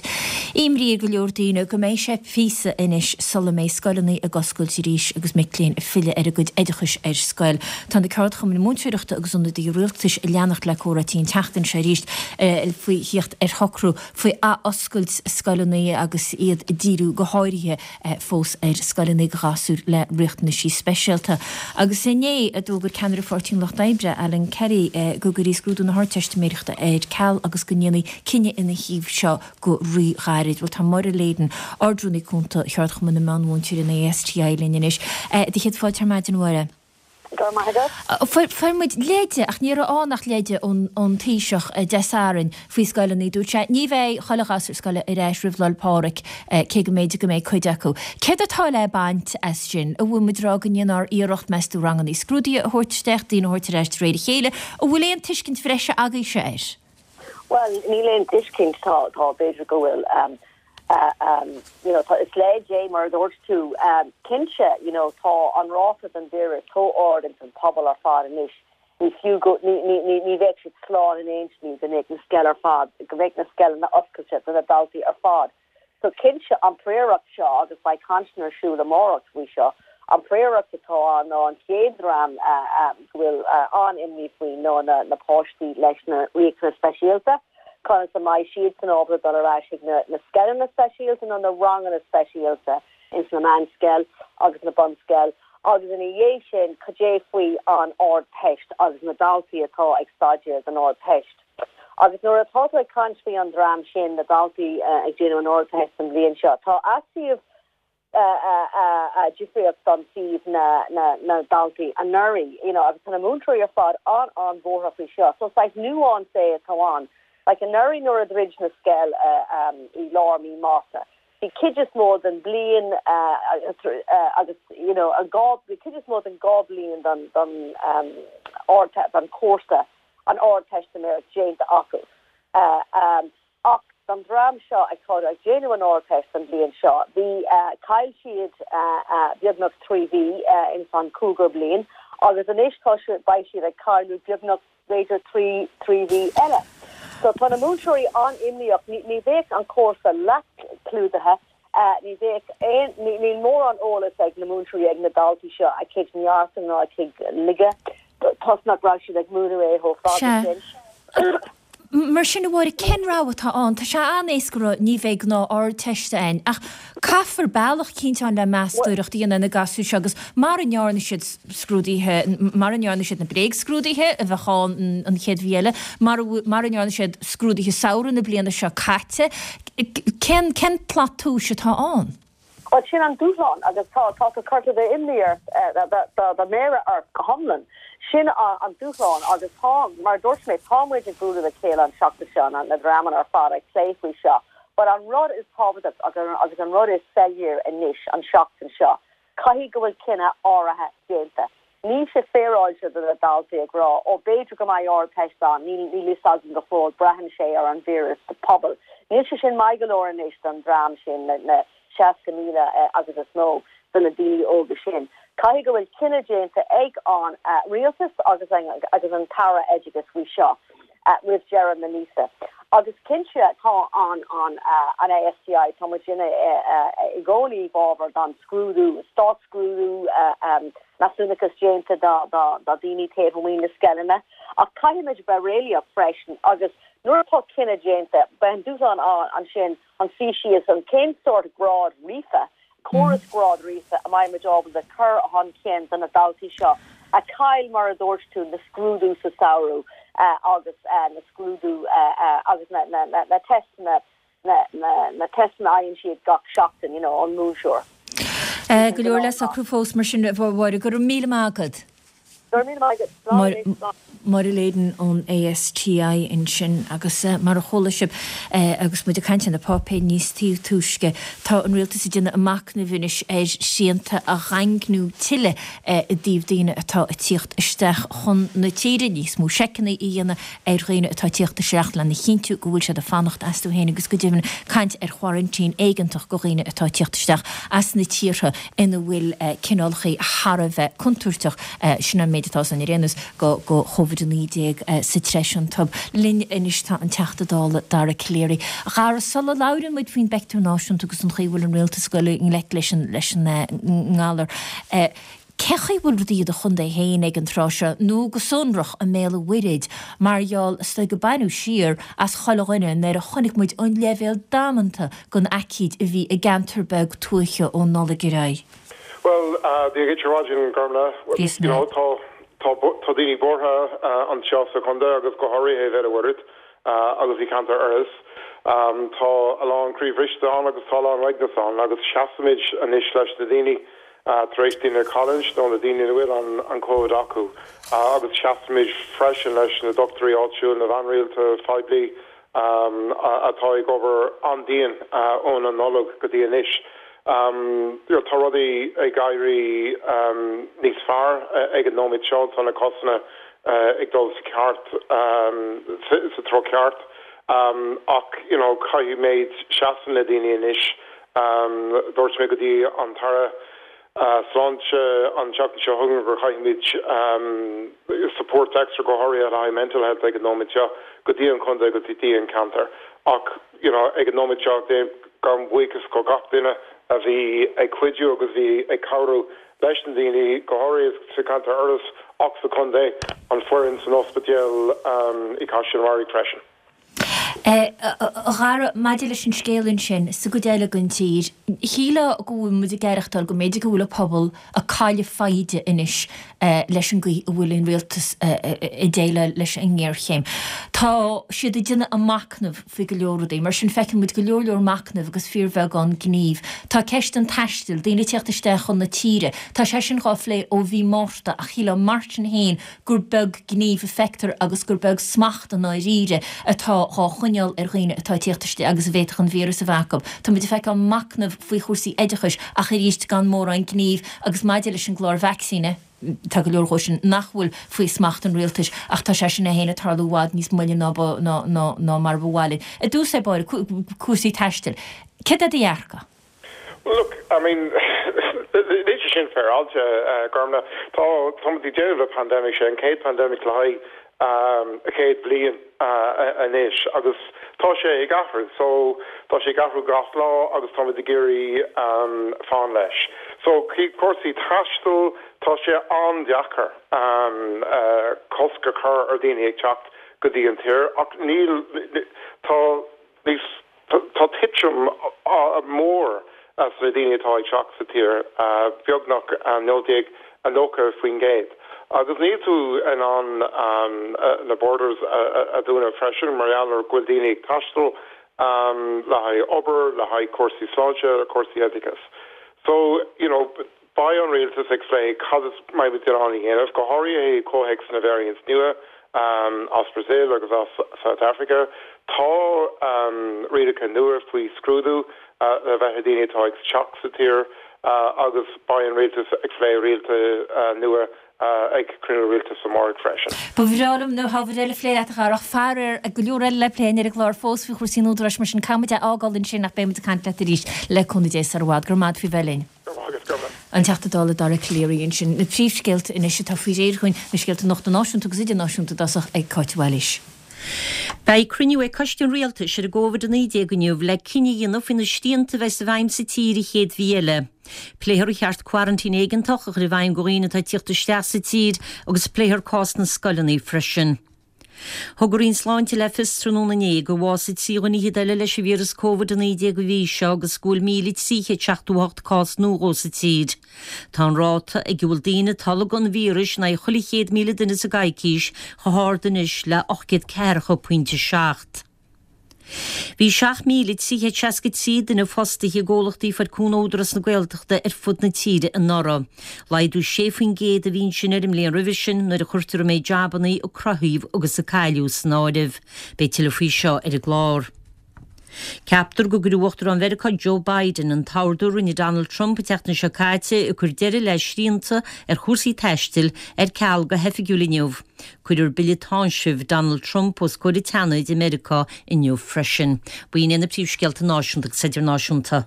imní ar go leor daoine go mbeidh sé píosa anois sula mbeidh scoileanna ag oscailt arís agus mic léinn ag filleadh ar a gcuid oideachais ar scoil. Tá na ceardchumainn múinteoireachta agus ionadaithe rialtais ag leanacht le comhráití an tseachtain seo arís faoi theacht ar shocrú faoi athoscailt scoileanna agus iad ag díriú go háirithe fós ar scoileanna do ghasúir le riachtanaisí speisialta. Agus inné a d'fhógair ceannaire Pháirtí an Lucht Oibre, Alan Kelly, go gcuirfí scrúdú na hArdteistiméireachta ar ceal agus go ndéanfaí cinneadh ina thaobh seo go rí-ghairid. Bhuel, tá Máire Leyden, Ard-Rúnaí Cúnta Cheardchumann na Meán-Mhúinteoirí, an ASTI, linn anois. Do chéad fáilte ar maidin, a Mháire. Go raibh maith agat. Fuair muid leide, ach ní raibh ann ach leide ón Taoiseach Dé Sathairn faoi scoileanna. Dúirt sé, ní bheidh chuile ghasúr scoile ar ais roimh Lá 'le Pádraig, cé go mb'fhéidir go mbeidh cuid acu. Céard atá le baint as sin? An bhfuil muid ag rá go ndéanfar iarracht, meas tú, ranganna scrúdaithe a thabhairt isteach, daoine a thabhairt ar ais de réir a chéile? An bhfuil aon tuiscint bhreise agaibhse air? Bhuel, níl aon tuiscint, tá, tá, b'fhéidir go bhfuil, you know, tá, is leid é mar a dúirt tú, cinnte, you know, tá an ráta den víreas chomh ard ins an pobal ar fad anois, ní fiú go, ní, ní, ní, ní bheadh siad slán in aon slí go mbeadh na scoil ar fad, go mbeadh na scoileanna oscailte do na daltaí ar fad. So cinnte, an phríoracht seo, agus beidh cainteanna ar siúl amárach faoi seo, an phríoracht atá ann ná an chéad dream go bhfuil an-imní faoi ná na páistí leis na riachtanais speisialta, conas a mbeidh siadsan ábalta dul ar ais chuig na scoileanna speisialta nó na ranganna speisialta ins na meánscoil agus na bunscoil agus ina dhiaidh sin cad é faoi an Ardteist agus na daltaí atá ag staidéar don Ardteist. Agus nuair atá tú ag caint faoi an dream sin, na daltaí ag déanamh an Ardteist an bhliain seo, tá suíomh difríocht don suíomh na ndaltaí anuraidh, you know, agus tá na múinteoirí ar fad an-an-bhuartha faoi seo. So saghas nuance é atá ann. Like anuraidh nuair a dhruid na scoil i lár mí Márta. Bhí cuid is mó den bliain agus you know an dá bhí cuid is mó den dá bliain den den ard den cúrsa an Ardteistiméireacht déanta acu. Ach don dream seo atá ag déanamh an Ardteist an bhliain seo bhí chaill siad beagnach 3 mhí ins an cúigiú bliain agus anois tá beidh siad ag cailleadh beagnach b'fhéidir 3 mhí eile. So tá na múinteoirí an-imníoch, ní bheadh an cúrsa leath-chlúdaithe, ní bheadh aon, níl mórán eolas ag na múinteoirí ag na daltaí seo a gcuid neartú ná a gcuid laige toisc nach raibh siad ag múineadh é chomh fada sin. Mar sin, a Mháire, cén rogha atá ann? Tá sé an-éasca a rá ní bheidh gnáth-Ardteist ann, ach caithfear bealach eicínt ann le meastóireacht a dhéanamh ar na gasúir seo agus mara ndearna siad scrúduithe, mara ndearna siad na bréagscrúduithe a bheadh ann an chéad mhí eile, mara ndearna siad scrúduithe samhraidh na bliana seo caite, cén, cén tslat tomhais atá ann? Bhuel, sin an dúshlán agus tá, tá tú curtha d'imní ort, do mhéara ort go hiomlán. Sin an dúshlán agus tá, mar a dúirt mé, tá muid ag bualadh le chéile an tseachtain seo, na dreamanna ar fad ag plé faoi seo. But an rud is tábhachtach agus an rud is soiléir anois an tseachtain seo, caithfidh go bhfuil cinneadh áirithe déanta. Níl sé féaráilte do na daltaí ag rá, ó b'fhéidir go mbeidh Ardteist ann, níl fhios againn go fóill, braitheann sé ar an víreas sa pobal. Níl sé sin maith go leor anois don dream sin, na 60,000 agus is mó de na daoine óga sin. Caithfidh go bhfuil cinneadh déanta ag an rialtas agus agus an tAire Oideachais faoi seo roimh deireadh na míosa. Agus cinnte tá an an an ASTI, tá muid ina i gcónaí i bhfabhar don scrúdú, státscrúdú, measúnachas déanta do daoine taobh amuigh na scoileanna. Ach caithfimid bheith réalaíoch freisin agus nuair atá cinneadh déanta, beidh an dúshlán ann ansin an suí síos an cén sórt grád ríofa, córas grád ríofa a mbeidh muid ábalta cur chun cinn do na daltaí seo a chaill mar a dúirt tú na scrúdú sa samhradh agus na scrúdú agus na teisteanna na teisteanna a fhaigheann siad gach seachtain, you know, ón múinteoir. Go leor le socrú fós mar sin, a Mháire. Go raibh míle maith agat. Go raibh míle maith agat. Slán anois. Slán. Máire Leyden ón ASTI ansin agus mar a chuala sibh agus muid ag caint ar na páipéir níos túisce, tá an rialtas ag déanamh a machnaimh anois ar shrianta a dhaingniú tuilleadh i dtaobh daoine atá ag tíocht isteach chun na tíre, níos mó seiceanna a dhéanamh ar dhaoine atá ag tíocht isteach lena chinntiú go bhfuil siad ag fanacht astu féin agus go deimhin caint ar choraintín éigeantach go dhaoine atá ag tíocht isteach as na tíortha ina bhfuil cineálacha thar a bheith contúirteach, sin an méid atá ann ar aon nós, go Covid-19 sa treis iontub. Linn anois tá an Teachta Dála Dara Calleary. A Dhara, sula labhrann muid faoin bpeictiúr náisiúnta agus an chaoi a bhfuil an rialtas ag dul i ngleic leis an leis an ngalar, Cén chaoi a bhfuil rudaí i do chontae féin ag an tráth seo, nó go sonrach i mBéal an Mhuirthead, mar gheall, is dóigh, go baineadh siar as chuile dhuine nuair a chonaic muid an leibhéal damanta den aicíd a bhí i gceantar beag tuaithe ón Nollaig ar aghaidh? Bhuel, Dia dhuit ar maidin, Gormfhlaith. Dia You know, tá, tá, tá daoine buartha anseo sa chontae agus go háirithe i Bhéal an Mhuirthead agus i gceantar Iorrais. Tá a lán croí bhriste ann agus tá a lán uaigneas ann agus seasaimid anois leis na daoine tar éis daoine a chailliúint nó na daoine ina bhfuil an Covid acu agus seasaimid freisin leis na dochtúirí áitiúil, na bean rialta phoiblí atá ag obair an-dian ón an Nollaig go dtí anois. Tá rudaí ag éirí níos fearr ag an nóiméad seo, tá na cásanna ag dul sa ceart, sa treo ceart ach you know caithfimid seasamh le daoine anois. Dúirt mé go dtí an tAire Sláinte an tseachtain seo chugainn gur chaithfimid support extra go háirithe le haghaidh mental health ag an nóiméad seo go dtí an chontae agus go dtí an ceantar ach you know ag an nóiméad seo gabhaim buíochas go gach duine a bhí ag cuidiú agus bhí ag cabhrú leis na daoine go háirithe sa cheantar Iorrais ach sa chontae, an foireann san ospidéal i gCaisleán an Bharraigh freisin. A Dhara, maidir leis an scéal ansin sa gcuid eile den tír, shílfeá go bhfuil muid ag aireachtáil go mb'fhéidir go bhfuil an pobal ag cailleadh foighde anois leis an gcaoi a bhfuil an rialtas ag déileáil leis an ngéarchéim. Tá siad ag déanamh a machnamh faoi go leor rudaí, mar sin feiceann muid go leor leor machnaimh agus fíorbheagán gnímh. Tá ceist an taistil, daoine ag tíocht isteach chun na tíre, tá sé sin dhá phlé ó mhí Márta ach shílfeá mar sin féin gur beag gníomh a feictear agus gur beag smacht i ndáiríre atá dhá choinneáil. choinneáil ar dhaoine atá ag tíocht isteach agus a bhféadfadh an víreas a bheith acu. Tá muid ag feiceáil machnamh faoi chúrsaí oideachais ach arís gan mórán gnímh agus maidir leis an gclár vacsaíne, tá go leor dhó sin nach bhfuil faoi smacht an rialtais ach tá sé sin é féin ag tarlú i bhfad níos moille ná ná mar ba mhaith linn. I dtús ar báire, cúrsaí taistil. Céard é do dhearcadh? Well look, I mean, níl sé sin féaráilte, Gormfhlaith. Tá, tá muid ag déileáil le pandemic, sé an chéad pandemic le haghaidh 100 bliain anois agus tá sé ag athrú. So, tá sé ag athrú gach lá agus tá muid ag iarraidh fán leis. So, cúrsaí taistil, tá sé an-deacair cosc a chur ar daoine ag teacht go dtí an tír ach níl, tá níos, Tá titim mór sna daoine atá ag teacht sa tír, beagnach 19 90%. Agus níl tú in ann na borders a dhúnadh freisin mar gheall ar go bhfuil daoine ag taisteal le haghaidh obair, le haghaidh cúrsaí sláinte, cúrsaí oideachais. So, you know, Beidh an rialtas ag plé cad is mbeidh muid in ann a dhéanamh, go háirithe i gcomhthéacs na variants nua as Brazil agus as South Africa. Tá rialacha nua faoi scrúdú le bheith ag daoine atá ag teacht sa tír agus beidh an rialtas ag plé rialacha nua ag cruinniú rialtais amárach freisin. Ba bhreá liom na hábhair eile a phlé leat a Dhara ach faraor go leor eile le plé ar an gclár fós faoi chúrsaí an Údaráis mar sin caithfidh muid é a fhágáil ansin ach beidh muid ag caint leat arís le cúnamh Dé sar i bhfad. Go raibh maith agat faoi bheith linn. An Teachta Dála Dara Calleary ansin. Na príomhscéalta anois atá faoi réir chugainn, na scéalta nuachta náisiúnta agus idirnáisiúnta i dtosach ag Cáit Bhailís. Beidh cruinniú ag Coiste an Rialtais ar an gCovid-19 inniu le cinneadh a dhéanamh faoi na srianta a bheas i bhfeidhm sa tír an chéad mhí eile. Pléifear ar cheart coraintín éigeantach a chur i bhfeidhm do dhaoine atá ag tíocht isteach sa tír agus pléifear cás na scoileanna freisin. Thug an Roinn Sláinte le fios tráthnóna inné gur bhásaigh 3 dhuine fhichead eile leis an víreas Covid-19 an mhí seo agus go bhfuil 1,378 cás nua dhó sa tír. Tá an ráta ag a bhfuil daoine ag tolgadh an víris in aghaidh chuile 100,000 duine sa gcoicís chomh hard anois le 840.7. Bhí 7,363 duine fostaithe i gcomhlachtaí a fuair cúnamh ó Údarás na Gaeltachta ar fud na tíre anuraidh. Laghdú 6% a bhí ansin ar an mbliain roimhe sin nuair a chuirtear an méid jabannaí a cruthaíodh agus a cailleadh san áireamh. Beidh tuilleadh faoi seo ar an gclár. Ceaptar go gcuirfidh Uachtarán Mheiriceá Joe Biden an t-ordú a rinne Donald Trump an tseachtain seo caite ag cur deireadh le srianta ar chúrsaí taistil ar ceal go hoifigiúil inniu. Cuirfear bille táinsimh Donald Trump os comhair an tSeanaid i Meiriceá inniu freisin. B'in iad na príomhscéalta náisiúnta agus idirnáisiúnta.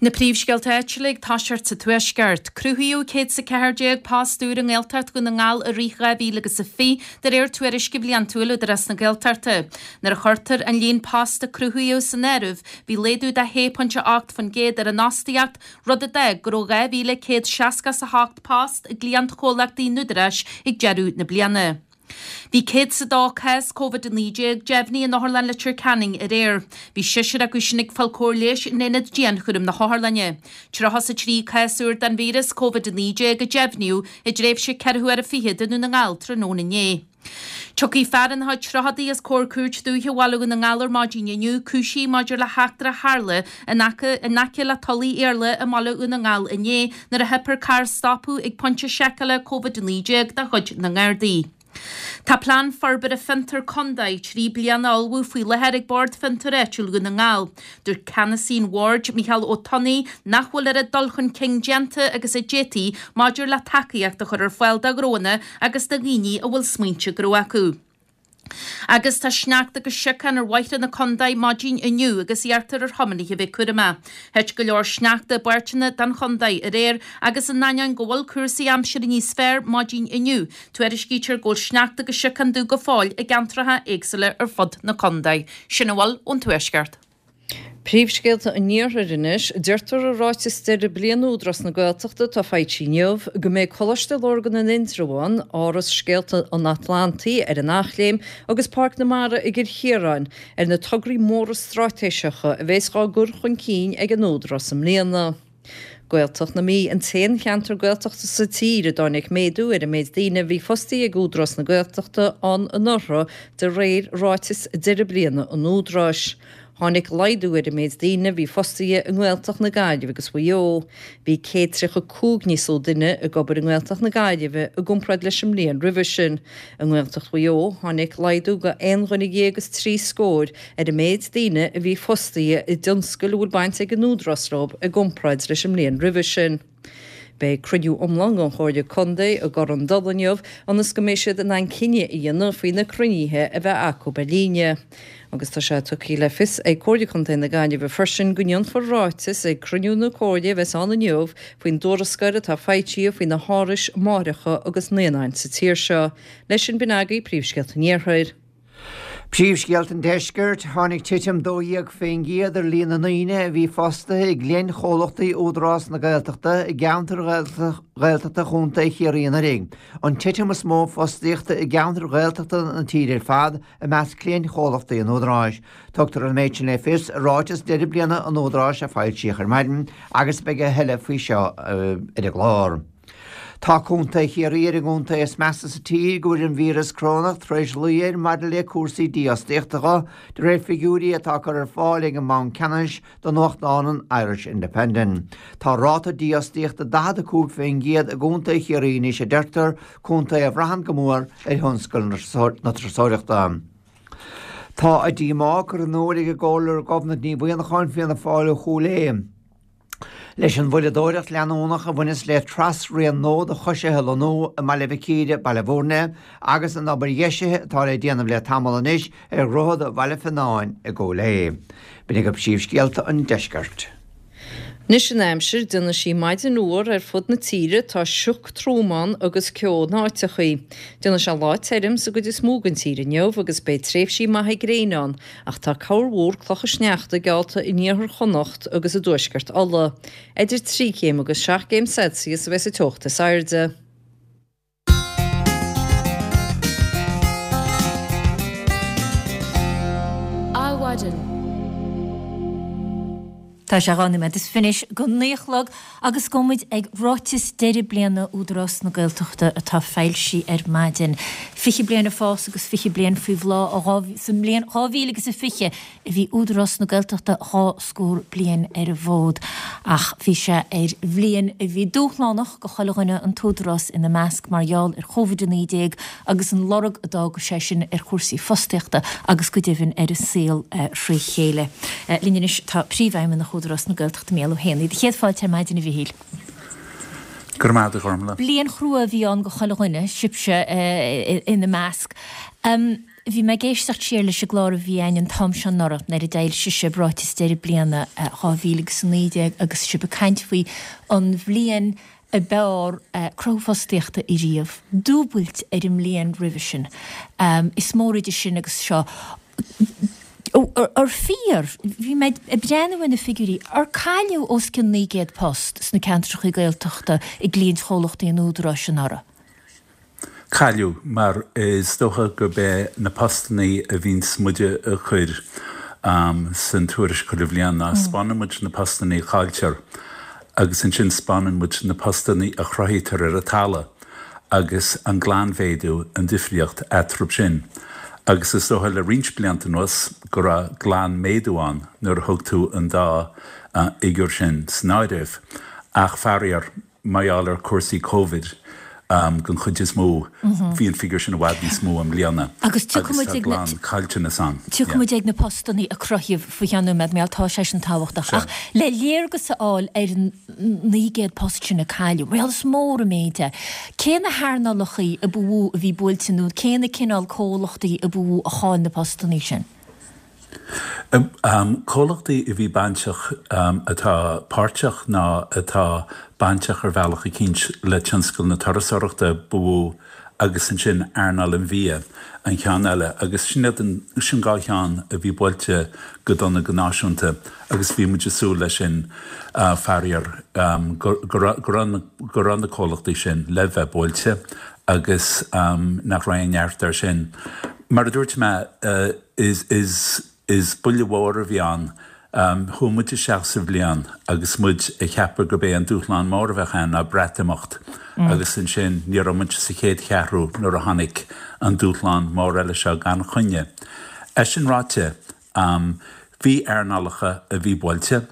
Na príomhscéalta áitiúla ag toiseacht sa Tuaisceart. Cruthaíodh 114 post úr i nGaeltacht Dhún na nGall i rith 2020, de réir tuairisce bhliantúil Údarás na Gaeltachta. Nuair a chuirtear an líon post a cruthaíodh san áireamh, bhí laghdú de 6.8% ar an fhostaíocht, rud a d'fhág go raibh 2,168 post i gcliantchomhlachtaí an Údaráis ag deireadh na bliana. Bhí 102 cás Covid-19 deimhnithe in Otharlann Leitir Ceanainn aréir. Bhí seisear acu sin ag fáil cóir leighis in aonad dianchúraim na hotharlainne. 33 cás úr den víreas Covid-19 a deimhníodh i dtréimhse ceithre huaire fichead i nDún na nGall tráthnóna inné. Tiocfaidh fear ina chuid tríochadaí os comhair Cúirt Dúiche Bhaile Dhún na nGall ar maidin inniu, cúisithe maidir le heachtra a tharla in aice in aice le Tulaigh Iarla i mBaile Dhún na nGall inné nuair a theip ar carr stopadh ag pointe seiceála Covid-19 de chuid na nGardaí. Tá Plean Forbartha Fiontar Contae 3 bliana á ullmhú faoi láthair ag Bord Fiontair Áitiúil Dhún na nGall. Dúirt ceannasaí an bhoird, Micheál Ó Tonnaigh, nach bhfuil oiread dul chun cinn déanta agus a d'fhéadfaí maidir le tacaíocht a chur ar fáil do ghnóanna agus do dhaoine a bhfuil smaointe gnó acu. Agus tá sneachta agus siocán ar bhóithre na contae maidin inniu agus iarrtar ar thiománaithe a bheith cúramach. Thit go leor sneachta i bpáirteanna den chontae aréir agus in ainneoin go bhfuil cúrsaí aimsire níos fearr maidin inniu, tuairiscítear go bhfuil sneachta agus siocán dubh go fóill i gceantracha éagsúla ar fud na contae. Sin a bhfuil ón Tuaisceart. Príomhscéalta an Iarthair anois. Deirtear i ráiteas deireadh bliana Údarás na Gaeltachta atá foilsithe inniu go mbeidh Coláiste Lurgan in Indreabhán, Áras Scéalta an Atlantaigh ar an Eachléim agus Páirc na Mara i gCill Chiaráin ar na tograí móra straitéiseacha a bheas á gcur chun cinn ag an Údarás i mbliana. Gaeltacht na Mí an t-aon cheantar Gaeltachta sa tír a dtáinig méadú ar an méid daoine a bhí fostaithe ag Údarás na Gaeltachta ann anuraidh de réir ráiteas deireadh bliana an Údaráis. Tháinig laghdú ar an méid daoine a bhí fostaithe i nGaeltacht na Gaillimhe agus Mhaigh Eo. Bhí 135 níos lú duine ag obair i nGaeltacht na Gaillimhe i gcomparáid leis an mbliain roimhe sin. I nGaeltacht Mhaigh Eo, tháinig laghdú de aon dhuine dhéag is trí scór ar an méid daoine a bhí fostaithe i dtionscail a bhfuil baint ag an Údarás leo i gcomparáid leis an mbliain roimhe sin. Beidh cruinniú iomlán den Chomhairle Contae i gCorr an Dola inniu ionas go mbeidh siad in ann cinneadh a dhéanamh faoi na cruinnithe a bheith acu ar líne. Agus tá sé tugtha le fios ag Comhairle Contae na Gaillimhe freisin go ndéanfar ráiteas ag cruinniú na Comhairle a bheas ann inniu faoin dtuarascáil atá foilsithe faoi na hárais máithreacha agus naíonáin sa tír seo. Leis sin b'in agaibh príomhscéalta an Iarthair. Príomhscéalta an Deiscirt, Tháinig titim 12% ar líon na ndaoine a bhí fostaithe i gcliantchomhlachtaí Údarás na Gaeltachta i gceantair Ghaeltachta Chontae Chiarraí anuraidh, an titim is mó fostaíochta i gceantair Ghaeltachta na tíre ar fad i measc cliantchomhlachtaí an Údaráis. Tugtar an méid sin le fios i ráiteas deireadh bliana an Údaráis a foilsíodh ar maidin agus beidh a thuilleadh faoi seo ar an gclár. Tá Contae Chiarraí ar an gcontae is measa sa tír go bhfuil an víreas corónach tar éis luí air maidir le cúrsaí dífhostaíochta dho, de réir figiúirí atá curtha ar fáil ag an mBanc Ceannais do nuachtán an Irish Independent. Tá ráta dífhostaíochta 45% i gContae Chiarraí anois a deirtear, contae a bhraitheann go mór ar thionscal na turasóireachta. Tá a díomá curtha in iúl ag an gComhairleoir Gobnait Ní Mhuimhneacháin, Fianna Fáil ó Chúil Aodha, Leis an mhoilleadóireacht leanúnach a bhaineas le trasrian nua do choisithe a lonnú i mBaile Mhic Íre, Baile Bhúirne, agus an obair dheisithe atá le déanamh le tamall anois ar Dhroichead Bhaile Fionáin i gCúil Aodha. B'in agaibh príomhscéalta an deiscirt. Anois an aimsir, déanfaidh sí maidin fhuar ar fud na tíre, tá sioc trom ann agus ceo in áiteachaí. Déanfaidh sé lá tirim sa gcuid is mó den tír inniu agus beidh tréimhsí maithe gréine ann Ach tá corrmhúr clocha sneachta geallta in iarthar Chonnacht agus i dtuaisceart Uladh. Idir 3 chéim agus 7 gcéim Celsius a bheas an teocht is airde. Adhmhaidin. Tá sé 2 nóiméad is fiche go 9 a chlog agus gabhfaidh muid ag ráiteas deireadh bliana Údarás na Gaeltachta atá foilsithe ar maidin. 20 bliain ag fás agus 20 bliain faoi bhláth sa mbliain 2020 a bhí Údarás na Gaeltachta dhá scór bliain ar an bhfód ach bhí sé ar bhliain a bhí dúshlánach go chuile dhuine, an tÚdarás ina measc, mar gheall ar Covid-19 agus an lorg a d'fhága sé sin ar chúrsaí fostaíochta agus go deimhin ar an saol thrí chéile. Linn anois tá Príomhfheidhmeannach Údarás na Gaeltachta Mícheál Ó hÉanaí. Do chéad fáilte ar maidin a Mhichíl. Go raibh maith agat a Ghormlaith. Bliain chrua a bhí ann go chuile dhuine, sibhse ina measc. Bhí mé ag éisteacht siar leis an gclár a bhí againn an t-am seo anuraidh nuair a d'fhoilsigh sibh ráiteas deireadh bliana 2019 agus sibh ag caint faoi an bhliain ab fhearr cruthú fostaíochta ariamh, dúbailt ar an mbliain roimhe sin. Is mór idir sin agus seo. Ar fíor, bhí mé ag breathnú ar na figiúirí, ar cailleadh os cionn 900 post sna ceantracha Gaeltachta i gcliaint-chomhlachtaí an Údaráis anuraidh? Cailleadh, mar is dócha gurb é na postannaí a bhíonns muide a chur san tuairisc chuile bhliain ná 'spáineann muid na postannaí a chailltear agus ansin 'spáineann muid na postannaí a chruthaítear ar an talamh agus an glanmhéadú, an difríocht eatarthu sin. Agus is dócha le roinnt blianta anuas go raibh glanmhéadú ann nuair a thug tú an dá fhigiúr sin san áireamh. Ach faraor, Mar gheall ar chúrsaí Covid, den chuid is mó, bhí an figiúr sin i bhfad níos mó i mbliana agus tá glanchaillteanas ann. Tiocfaidh muid ag na postannaí a cruthaíodh faoi cheann nóiméad, mar tá sé sin tábhachtach. Ach le léargas a fháil ar an 900 post sin a cailleadh, mar is mór an méid é, cé na hearnálachaí a ba mhó a bhí buailte nó cé na cineál comhlachtaí a ba mhó a chaill na postannaí sin? Comhlachtaí a bhí bainteach, atá páirteach ná atá bainteach ar bhealach eicínt le tionscal na turasóireachta ba mhó agus ansin earnáil an bhia an ceann eile agus sin iad an, sin dhá cheann a bhí buailte go dona go náisiúnta agus bhí muid ag súil leis sin faraor go go raibh go raibh na comhlachtaí sin le bheith buailte agus nach raibh aon neart air sin. Mar a dúirt mé, Is, is, is buille mhór a bhí ann. Chuaigh muid isteach sa bhliain agus muid ag ceapadh gurb é an dúshlán mór a bheadh ann ná Breatimeacht agus ansin ní raibh muid sa chéad cheathrú nuair a tháinig an dúshlán mór eile seo gan choinne. É sin ráite,. Bhí earnálacha a bhí buailte.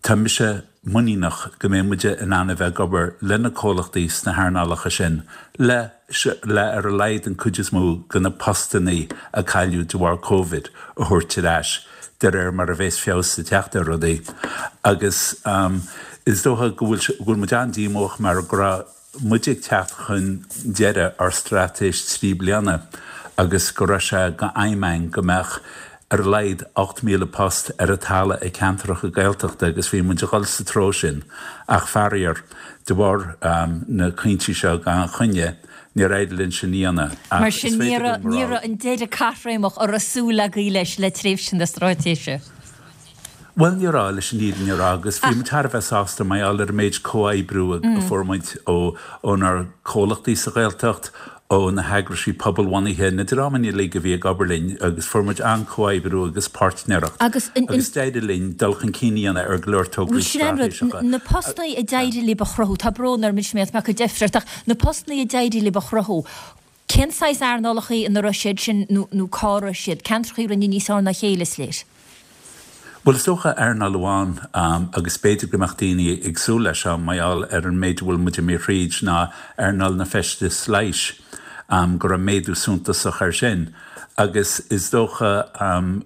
Tá mise muiníneach go mbeidh muide in ann a bheith ag obair le na comhlachtaí sna hearnálacha sin le le ar a laghad an cuid is mó de na postannaí a cailleadh de bharr Covid a thabhairt ar ais de réir mar a bheas feabhas ag teacht ar rudaí. Agus is dócha go bhfuil go bhfuil muid an-díomách mar go raibh muid ag teacht chun deireadh ár straitéis 3 bliana agus go raibh sé d'aidhm againn go mbeadh ar a laghad 8,000 post ar an talamh i ceantracha Gaeltachta agus bhí muid ag dul sa treo sin ach faraor, de bharr na cointí seo gan choinne, níor éirigh linn sin a dhéanamh. Ach Mar sin ní raibh ní raibh an deireadh caithréimeach a raibh súil agaibh leis le tréimhse na straitéise. Bhuel, ní raibh, leis an fhírinne a rá, agus bhí muid thar a bheith sásta mar gheall ar an méid comhoibriú a fuair muid ó ónár comhlachtaí sa Ghaeltacht, ó na heagraisí pobalbhunaithe, na dreamanna uilig a bhí ag obair linn agus fuair muid an-chomhoibriú agus páirtnéireacht Agus an, agus d'éirigh linn dul chun cinn a dhéanamh ar go leor tograí Bhuel, sin an rud, straitéiseacha. na postanna a d'éirigh libh a chruthú, tá brón orm anois mé ag deifir ort, ach na postanna a d'éirigh libh a chruthú, Cén saghas earnálacha ina raibh siad sin nó cá raibh siad? Ceantracha a rinne níos fearr ná a chéile, is léir. Bhuel, is dócha earnáil amháin, agus b'fhéidir go mbeadh daoine ag súil leis seo mar gheall ar an méid a bhfuil muid imithe thríd, ná earnáil na bhfeisteas leighis, go raibh méadú suntasach air sin. Agus is dócha,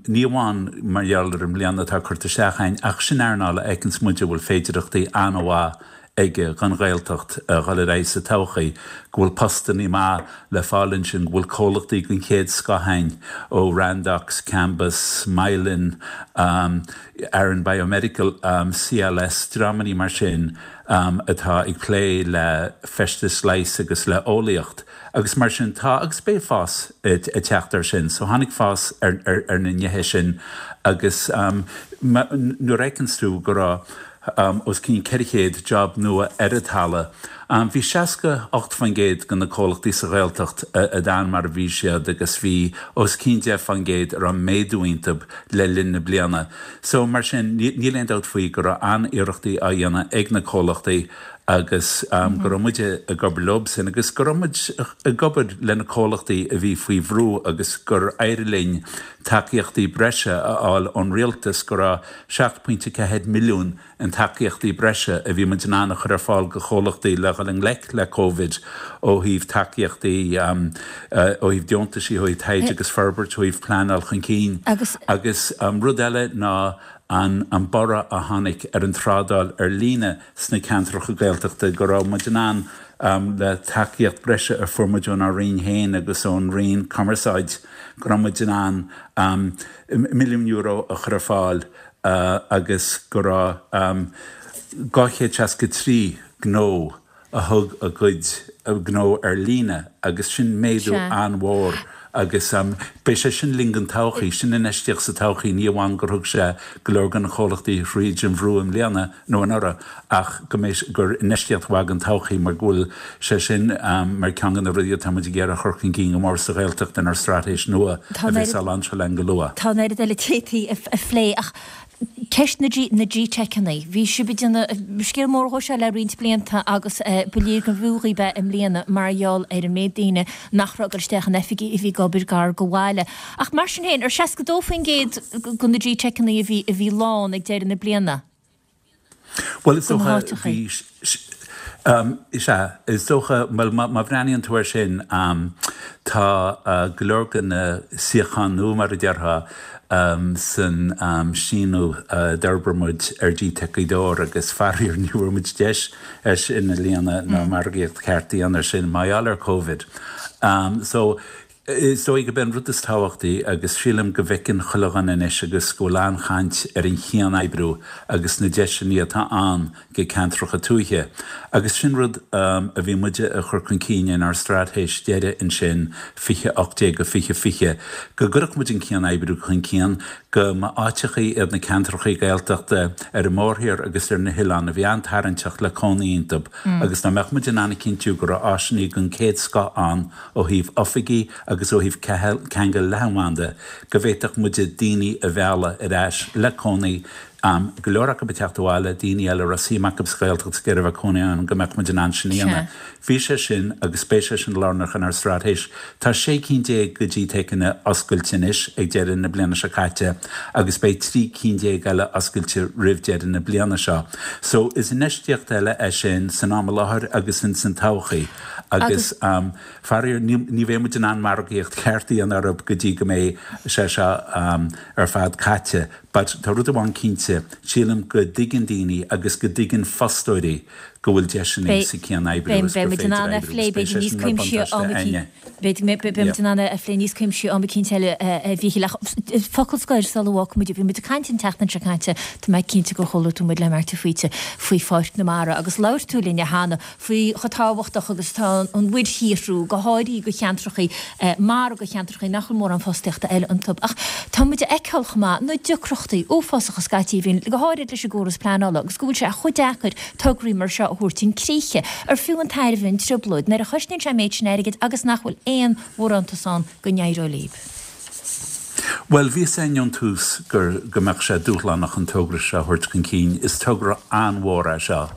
ní amháin mar gheall ar an mbliain atá curtha isteach againn, ach sin earnáil a fheiceanns muid a bhfuil féidireachtaí an-mhaith aige don Ghaeltacht a dhul ar aghaidh sa todhchaí, go bhfuil postannaí maith le fáil ansin, go bhfuil comhlachtaí den chéad scoth ann ó Randox, Cambus, Mylan, Aran Biomedical, CLS, dreamannaí mar sin atá ag plé le feistis leighis agus le eolaíocht agus mar sin tá agus beidh fás ag teacht air sin. So tháinig fás ar na nithe sin agus nuair a fheiceanns tú go raibh os cionn 400 job nua ar an talamh. Bhí 68% de na comhlachtaí sa Ghaeltacht a d'fhan mar a bhí siad agus bhí os cionn 10% a raibh méadú iontu le linn na bliana. So, mar sin, níl aon dabht faoi go raibh an-iarrachtaí á dhéanamh ag na comhlachtaí agus go raibh muide ag obair leob sin agus go raibh muid ag obair le na comhlachtaí a bhí faoi bhrú agus gur éirigh linn tacaíochtaí breise a fháil ón rialtas go raibh 7.4 milliún in tacaíochtaí breise a bhí muid in ann a chur ar fáil go chomhlachtaí le dhul i ngleic le Covid ó thaobh tacaíochtaí, ó thaobh deontaisí, ó thaobh taighde agus forbairt, ó thaobh pleanáil chun cinn. Agus rud eile ná an borradh a tháinig ar an trádáil ar líne sna ceantracha Gaeltachta, go raibh muid in ann le tacaíocht breise a fuair muid ónár Roinn féin agus ón Roinn Cumarsáid, go raibh muid in ann €1 milliún a chur ar fáil agus go raibh 263 gnó a thug a gcuid gnó ar líne agus sin méadú an-mhór agus beidh sé sin linn don todhchaí, sin infheistíocht sa todhchaí, ní amháin gur thug sé go leor de na comhlachtaí thríd an bhrú i mbliana nó anuraidh ach go mbeidh, gur infheistíocht mhaith don todhchaí mar go bhfuil sé sin mar ceann de na rudaí atá muid ag iarraidh a chur chun cinn go mór sa Ghaeltacht inár straitéis nua a bheas á lainseáil againn go luath. Tá an oiread eile a d'fhéadfaí a phlé ach ceist na na GTeiceanna. Bhí sibh ag déanamh scéal mór dhó seo le roinnt blianta agus ba léir gurbh fhiú dhaoibh é i mbliana mar gheall ar an méid daoine nach raibh ag dul isteach in oifigí a bhí ag obair gar go bhaile. Ach mar sin féin, ar 62% de na GTeiceanna a bhí a bhí lán ag deireadh na bliana? Bhuel, is dócha, bhí, is ea, is dócha, bhuel, má bhreathnaíonn tú air sin, tá go leor de na suíocháin nua, mar a déarfá, san síneadh a d'fhorbair muid ar GTeic Ghaoth Dobhair agus faraor ní bhfuair muid deis é sin a líonadh ná margaíocht cheart a dhéanamh air sin mar gheall ar Covid. So, Is dóigh gurb é an rud is tábhachtaí, agus sílim go bhfeiceann chuile dhuine anois agus go bhfuil an-chaint ar an chian-oibriú agus na deiseanna atá ann go ceantracha tuaithe. Agus sin rud a bhí muide a chur chun cinn inár straitéis deiridh ansin, 2018-2020, go gcuirfeadh muid an cian-oibriú chun cinn, go mba áiteachaí iad na ceantrachaí Gaeltachta ar an mórthír agus ar na hoileáin a bhí an-tarraingteach le cónaí iontu agus dá mbeadh muid in ann a chinntiú go raibh áiseanna den chéad scoth ann ó thaobh oifigí agus ó thaobh ceangal leathanbhanda, go bhféadfadh muide daoine a mhealladh ar ais le cónaí. Go leor acu ag teacht abhaile, daoine eile a raibh suim acu sa Ghaeltacht is ag iarraidh a bheith cónaí ann, go mbeadh muid in ann sin a dhéanamh. Bhí sé sin agus beidh sé sin lárnach inár straitéis. Tá 16 cinn de GTeiceanna oscailte anois ag deireadh na bliana seo caite agus beidh 13 cinn eile oscailte roimh deireadh na bliana seo. So is infheistíocht eile é sin san am i láthair agus ins an todhchaí agus faraor ní bheidh muid in ann margaíocht cheart a dhéanamh orthu go dtí go mbeidh sé seo ar fad caite. But tá rud amháin cinnte, sílim go dtuigeann daoine agus go dtuigeann fostóirí go bhfuil deiseanna sa cian-oibriú agus gur féidir oibriú agus beidh sé sin mar bhuntáiste againne. Beidh muid in ann é a phlé níos cuimsí am eicínt eile a Mhíchíl ach focal scoir sula bhfágfaidh muid, bhí muid ag caint an tseachtain seo caite, tá mé cinnte gur chuala tú muid le Marty Faoite faoi Pháirc na Mara agus labhair tú linne cheana faoi chomh tábhachtach agus atá an mhuirshaothrú, go háirithe do cheantrachaí mara, do cheantrachaí nach bhfuil mórán fostaíochta eile iontu. Ach tá muid a fheiceáil chomh maith na deacrachtaí uafásacha scaití a bhíonn, go háirid leis an gcóras pleanála, agus go bhfuil sé chomh deacair tograí mar seo a thabhairt chun críche. Ar fiú an tairbhe an trioblóid nuair a chosnaíonn sé an méid sin airgid agus nach bhfuil aon bharántas ann go n-éireoidh libh? Bhuel, bhí fhios againn ón tús gur, go mbeadh sé dúshlánach an togra seo a thabhairt chun cinn. Is togra an-mhór é seo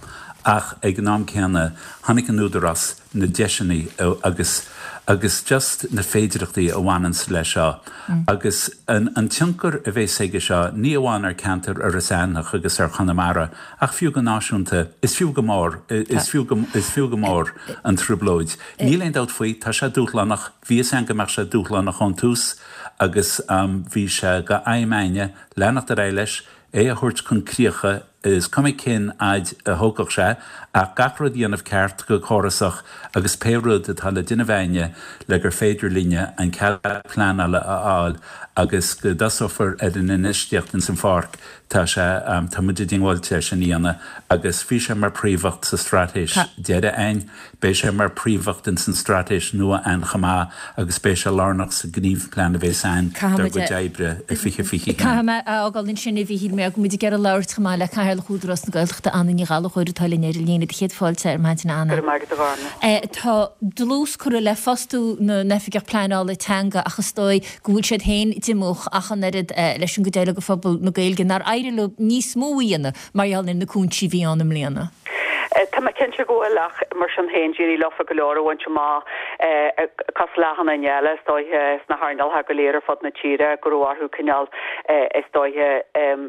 ach ag an am céanna chonaic an Údarás na deiseanna agus, agus just na féidireachtaí a bhaineanns leis seo agus an, an tionchar a bhéas aige seo ní amháin ar ceantar Iorras Aithneach agus ar Chonamara ach fiú go náisiúnta, is fiú go mór, is fiú go, is fiú go mór an trioblóid. Níl aon dabht faoi, tá sé dúshlánach. Bhí fhios againn go mbeadh sé dúshlánach ón tús agus bhí sé d'aidhm againne leanacht ar aghaidh leis, é a thabhairt chun críocha, is cuma cén fhaid a thógfadh sé, ach gach rud a dhéanamh ceart go córasach agus pé rud atá le déanamh againne le gur féidir linne an cead pleanála a fháil agus go dtosófar ar an infheistíocht ins an pháirc, tá sé, tá muid diongbháilte é sin a dhéanamh agus bhí sé mar phríomhcheist sa straitéis deiridh againn. Beidh sé mar phríomhcheist ins an straitéis nua a'ainn chomh maith agus beidh sé lárnach sa ghníomhphlean a bhéas a'ainn dár gcuid oibre i 2021. Caithfidh mé a fhágáil ansin a Mhíchíl mar go bhfuil muid ag iarraidh labhairt chomh maith le Cathaoirleach Údarás na Gaeltachta Anna Ní Ghallchóir atá linn ar an líne. Do chéad fáilte ar maidin a Anna. Go raibh maith agat a Ghormfhlaith. Tá dlús curtha le fostú na n-oifigeach pleanála teanga ach is dóigh go bhfuil siad féin díomách ach an oiread leis an gcuid eile de phobal na Gaeilge nár éirigh leo níos mó a dhéanamh mar gheall ar na cúinsí a bhí ann i mbliana. Tá mé cinnte go bhfuil ach mar sin féin d'éirigh leofa go leor a bhaint amach cosúil le achan duine eile is dóiche sna hearnálacha go léir ar fud na tíre go raibh orthu cineál is dóiche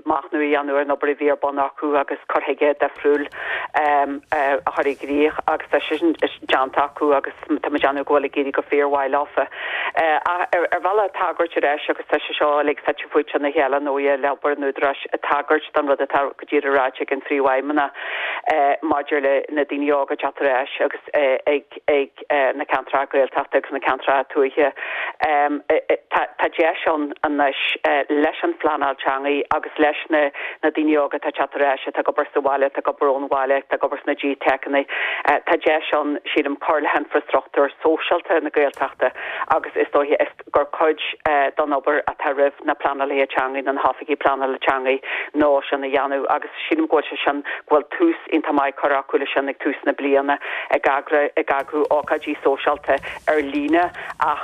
machnamh a dhéanamh ar an obair a bhí ar bun acu agus cur chuige difriúil a chur i gcrích agus tá sé sin déanta acu agus tá mé ag déanamh go bhfuil ag éirí go fíormhaith leofa. Ach ar bhealach tagairt ar ais agus tá sé seo uilig fite fuaite ina chéile ar ndóighe le obair an Údaráis tagairt don rud atá go díreach ráite ag an Phríomhfheidhmeannach maidir le na daoine óga ag teacht ar ais agus ag ag na ceantracha Gaeltachta agus na ceantracha tuaithe. Tá tá deis ann anois leis an phleanáil teangaí agus leis na na daoine óga atá ag teacht ar ais, atá ag obair sa bhaile, atá ag obair ón bhaile, atá ag obair sna GTeiceanna, tá deis ann, sílim, cur le hinfreastruchtúr sóisialta na Gaeltachta agus is dóiche is gur cuid den obair atá roimh na pleanálaithe teangaí nó na hoifigigh pleanála teangaí ná sin a dhéanamh agus sílim go bhfuil sé sin, go bhfuil tús iontach maith curtha acu leis sin ag tús na bliana, ag eagrú, ag eagrú ócáidí sóisialta ar líne ach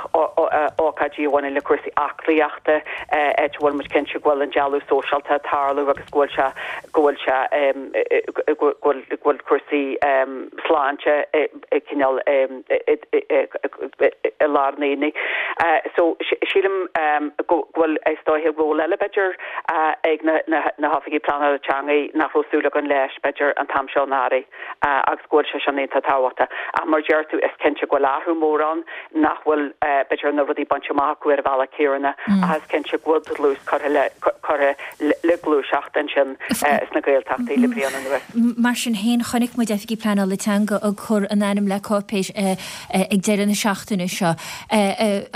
ócáidí a bhaineann le cúrsaí aclaíochta, áit a bhfuil muid cinnte go bhfuil an dealú sóisialta ag tarlú agus go bhfuil sé, go bhfuil sé, go bhfuil, go bhfuil cúrsaí sláinte cineál i lár an aonaigh. So sílim go bhfuil is dóiche ról eile b'fhéidir ag na hoifigigh pleanála teangaí nach raibh súil againn leis b'fhéidir an t-am seo anuraidh agus go bhfuil sé sin iontach tábhachtach. Ach mar a deir tú is cinnte go bhfuil athrú mór ann nach bhfuil b'fhéidir na rudaí bainte amach acu ar an bhealach céanna ach is cinnte go bhfuil dlús curtha le curtha le gluaiseacht ansin sna Gaeltachtaí le bliain anuas. Mar sin féin, chonaic muid Oifigigh Pleanála Teanga ag cur a n-ainm le cáipéis ag deireadh na seachtaine seo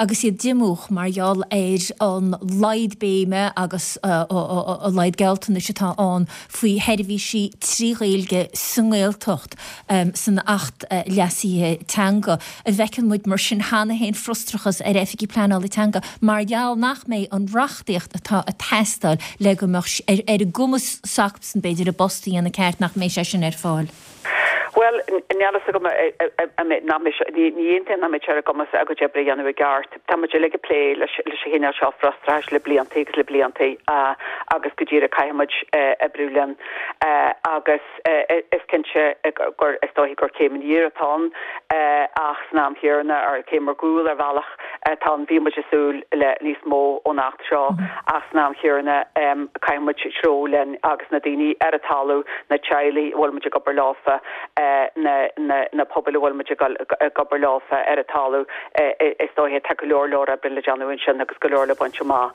agus iad díomách mar gheall ar an laghad béime agus a laghad gealltanais atá ann faoi sheirbhísí 3 Ghaeilge sa nGaeltacht san Acht Leasaithe Teanga. An bhfeiceann muid mar sin cheana féin frustrachas ar Oifigigh Pleanála Teanga mar gheall nach mbeidh an reachtaíocht atá ag teastáil le go mbeadh ar a gcumas s'acusan b'fhéidir a bpost a dhéanamh ceart, nach mbeidh sé sin ar fáil? Bhuel, níl a fhios agam nach mbeidh sé, ní aontaím nach mbeidh sé ar a gcumas a gcuid oibre a dhéanamh i gceart. Tá muid uilig ag plé leis an chineál seo frustrachais le blianta agus le blianta. agus go díreach caithfidh muid oibriú linn agus is cinnte gur is dóiche gur céim aniar atá ann ach san am chéanna ar céim ar gcúl ar bhealach atá ann. Bhí muid ag súil le níos mó ón Acht seo ach san am chéanna caithfidh muid treabhadh linn agus na daoine ar an talamh, na teaghlaigh a bhfuil muid ag obair leofa, na na pobail a bhfuil muid ag obair leofa ar an talamh, is dóiche tá go leor leor oibre le déanamh ansin agus go leor le baint amach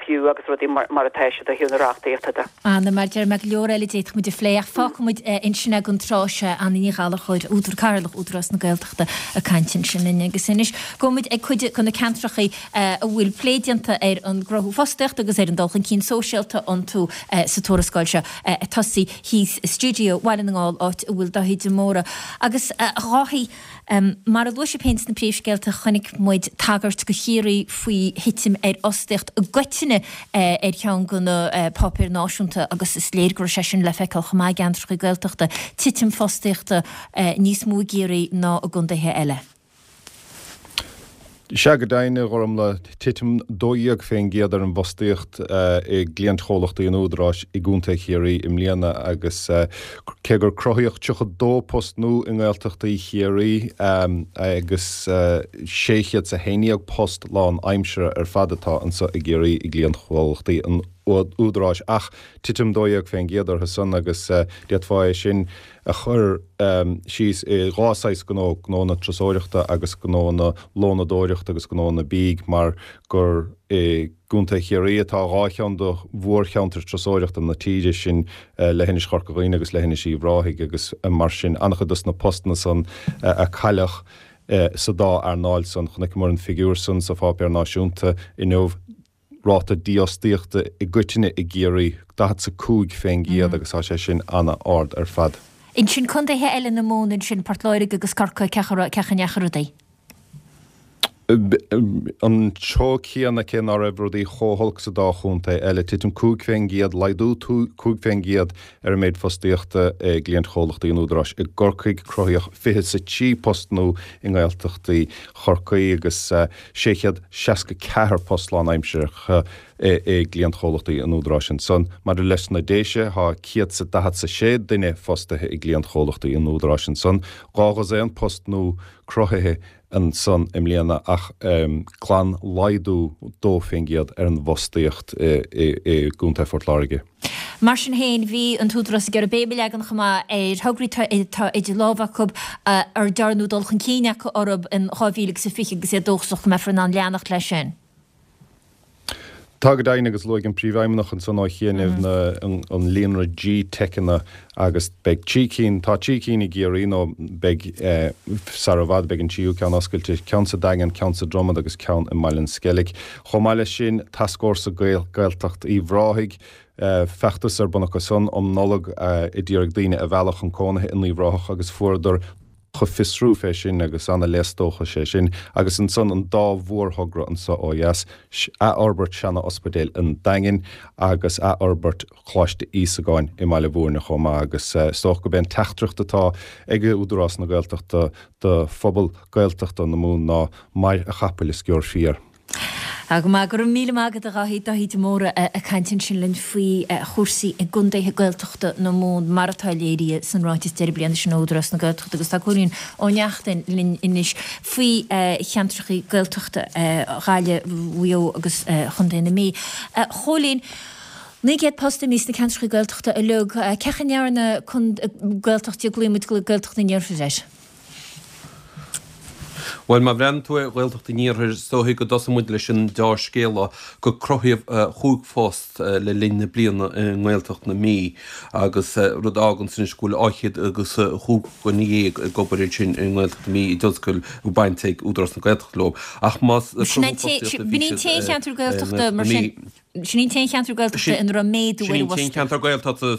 fiú agus rudaí mar atá siad ó thaobh na reachtaíochta de. Anna, mar deir mé, go leor eile a d'fhéadfadh muid a phlé ach fágfaidh muid ansin é don tráth seo, Anna Ní Ghallchóir, Údar Cathaoirleach Údarás na Gaeltachta ag caint ansin linn. Agus anois gabhfaidh muid ag cuid de na ceantrachaí a bhfuil plé déanta ar an gcruthú fostaíochta agus ar an dul chun cinn sóisialta iontu sa tuarascáil seo. Ag tosaí thíos i stiúideo Bhaile na nGall áit a bhfuil Dáithí de Mórdha. Agus a Dháithí, Mar a luaigh sibh féin sna príomhscéalta, chonaic muid tagairt do Chiarraí faoi thitim ar fhostaíocht i gcoitinne ar cheann de na páipéir náisiúnta agus is léir go raibh sé sin le feiceáil chomh maith i gceantracha Gaeltachta, titim fostaíochta níos mó i gCiarraí ná i gcontaetha eile. Sea, go deimhin, a Ghormlaith, titim 12% ar an bhfostaíocht i gcliantchomhlachtaí an Údaráis i gContae Chiarraí i mbliana agus cé gur cruthaíodh 32 post nua i nGaeltachtaí Chiarraí agus 611 post lánaimseartha ar fad atá anseo i gCiarraí i gcliantchomhlachtaí an Údaráis ach titim 12% orthu san agus d'fhéadfá é sin a chur síos i dhá saghas gnó, gnó na turasóireachta agus gnó na lónadóireachta agus gnó na bídh, mar gur i gContae Chiarraí atá dhá cheann de mhórcheantair turasóireachta na tíre, sin Leithinis Chorca Dhuibhne agus Leithinis Uíbh Ráthaigh agus mar sin an-chuid dos na postanna san a cailleadh sa dá earnáil san. Chonaiceamar an figiúr san sa pháipéar náisiúnta inniu. ráta dífhostaíochta i gcoitinne i gCiarraí, 45% agus tá sé sin ana-ard ar fad. Ansin contaetha eile na Mumhan ansin, Port Láirge agus Corcaigh, cén chaoi a ndeachaigh rudaí? An treo céanna, cé ná raibh rudaí chomh holc sa dá chontae eile. Titim 5%, laghdú 5% ar an méid fostaíochta i gcliantchomhlachtaí an Údaráis i gCorcaigh. Cruthaíodh 23 post nua i nGaeltachtaí Chorcaí agus 664 post lánaimseartha i gcliantchomhlachtaí an Údaráis ansan. Maidir leis na Déise, tá 146 duine fostaithe i gcliantchomhlachtaí an Údaráis ansan, dhá dhosaen post nua cruthaithe ansan i mbliana ach glan-laghdú 2% ar an bhfostaíocht i gContae Phort Láirge. Mar sin féin, bhí an tÚdarás ag iarraidh béim a leagan chomh maith ar thograí atá idir lámha acu ar dearnadh dul chun cinn acu orthu in 2020 agus iad dóchasach go mbeifear in ann leanacht leis sin. Tá go deimhin agus luaigh an Príomhfheidhmeannach ansan ó chianaibh an líonra G-Teiceanna agus beidh trí cinn, tá trí cinn i gCiarraí nó beidh sara i bhfad, beidh an tríú ceann oscailte, ceann sa Daingean, ceann sa Dromad agus ceann i mBaile an Sceilg. Chomh maith leis sin, Tascfhórsa Gaeltacht Uíbh Ráthaigh, feachtas ar bun acu san um Nollaig a d'iarraidh daoine a mhealladh chun cónaithe in Uíbh Ráthach agus fuaireadar fiosrú fé sin agus ana-léas dóchais é sin. Agus ansan an dá mhórthogra anso ó dheas, athfhorbairt seana-ospidéal an Daingin agus athfhorbairt Choláiste Íosagáin i mBaile Bhúirne chomh maith agus is dócha gurb é an teachtaireacht atá ag Údarás na Gaeltachta do phobal Gaeltachta na Mumhan ná mair a chapaill is gheobhair fiar. Tá go maith. Go raibh míle maith agat a Dháithí, Dáithí de Mórdha ag caint ansin linn faoi chúrsaí i gcontaetha Gaeltachta na Mumhan mar atá léirithe san ráiteas deireadh bliana sin ó Údarás na Gaeltachta agus tá Cóilín Ó Neachtain linn anois faoi cheantracha Gaeltachta Ghaillimh, Mhaigh Eo agus Chontae na Mí. A Chóilín, 900 post imithe sna ceantracha Gaeltachta uilig. Cén chaoi a ndearna Gaeltacht, glaonn muid Gaeltacht an Iarthair air? Bhuel, má bhreathnaíonn tú ar Ghaeltacht an Iarthair, is dóiche go dtosóidh muid leis an deá-scéala gur cruthaíodh chúig phost le linn na bliana i nGaeltacht na Mí agus rud a fháganns anois go bhfuil dhá chéad agus chúig dhuine dhéag ag obair ansin i nGaeltacht na Mí i dtionscail a bhfuil baint ag Údarás na Gaeltachta leo. Ach más Sin é cruthú fostaíochta a bhí B'in í an siad t-aon cheantar i Gaeltachta nGaeltacht na mar sin, Mí. sin í an t-aon cheantar Gaeltachta Sin ina raibh méadú sin ar í an an t-aon bhfostaíocht. cheantar Gaeltachta.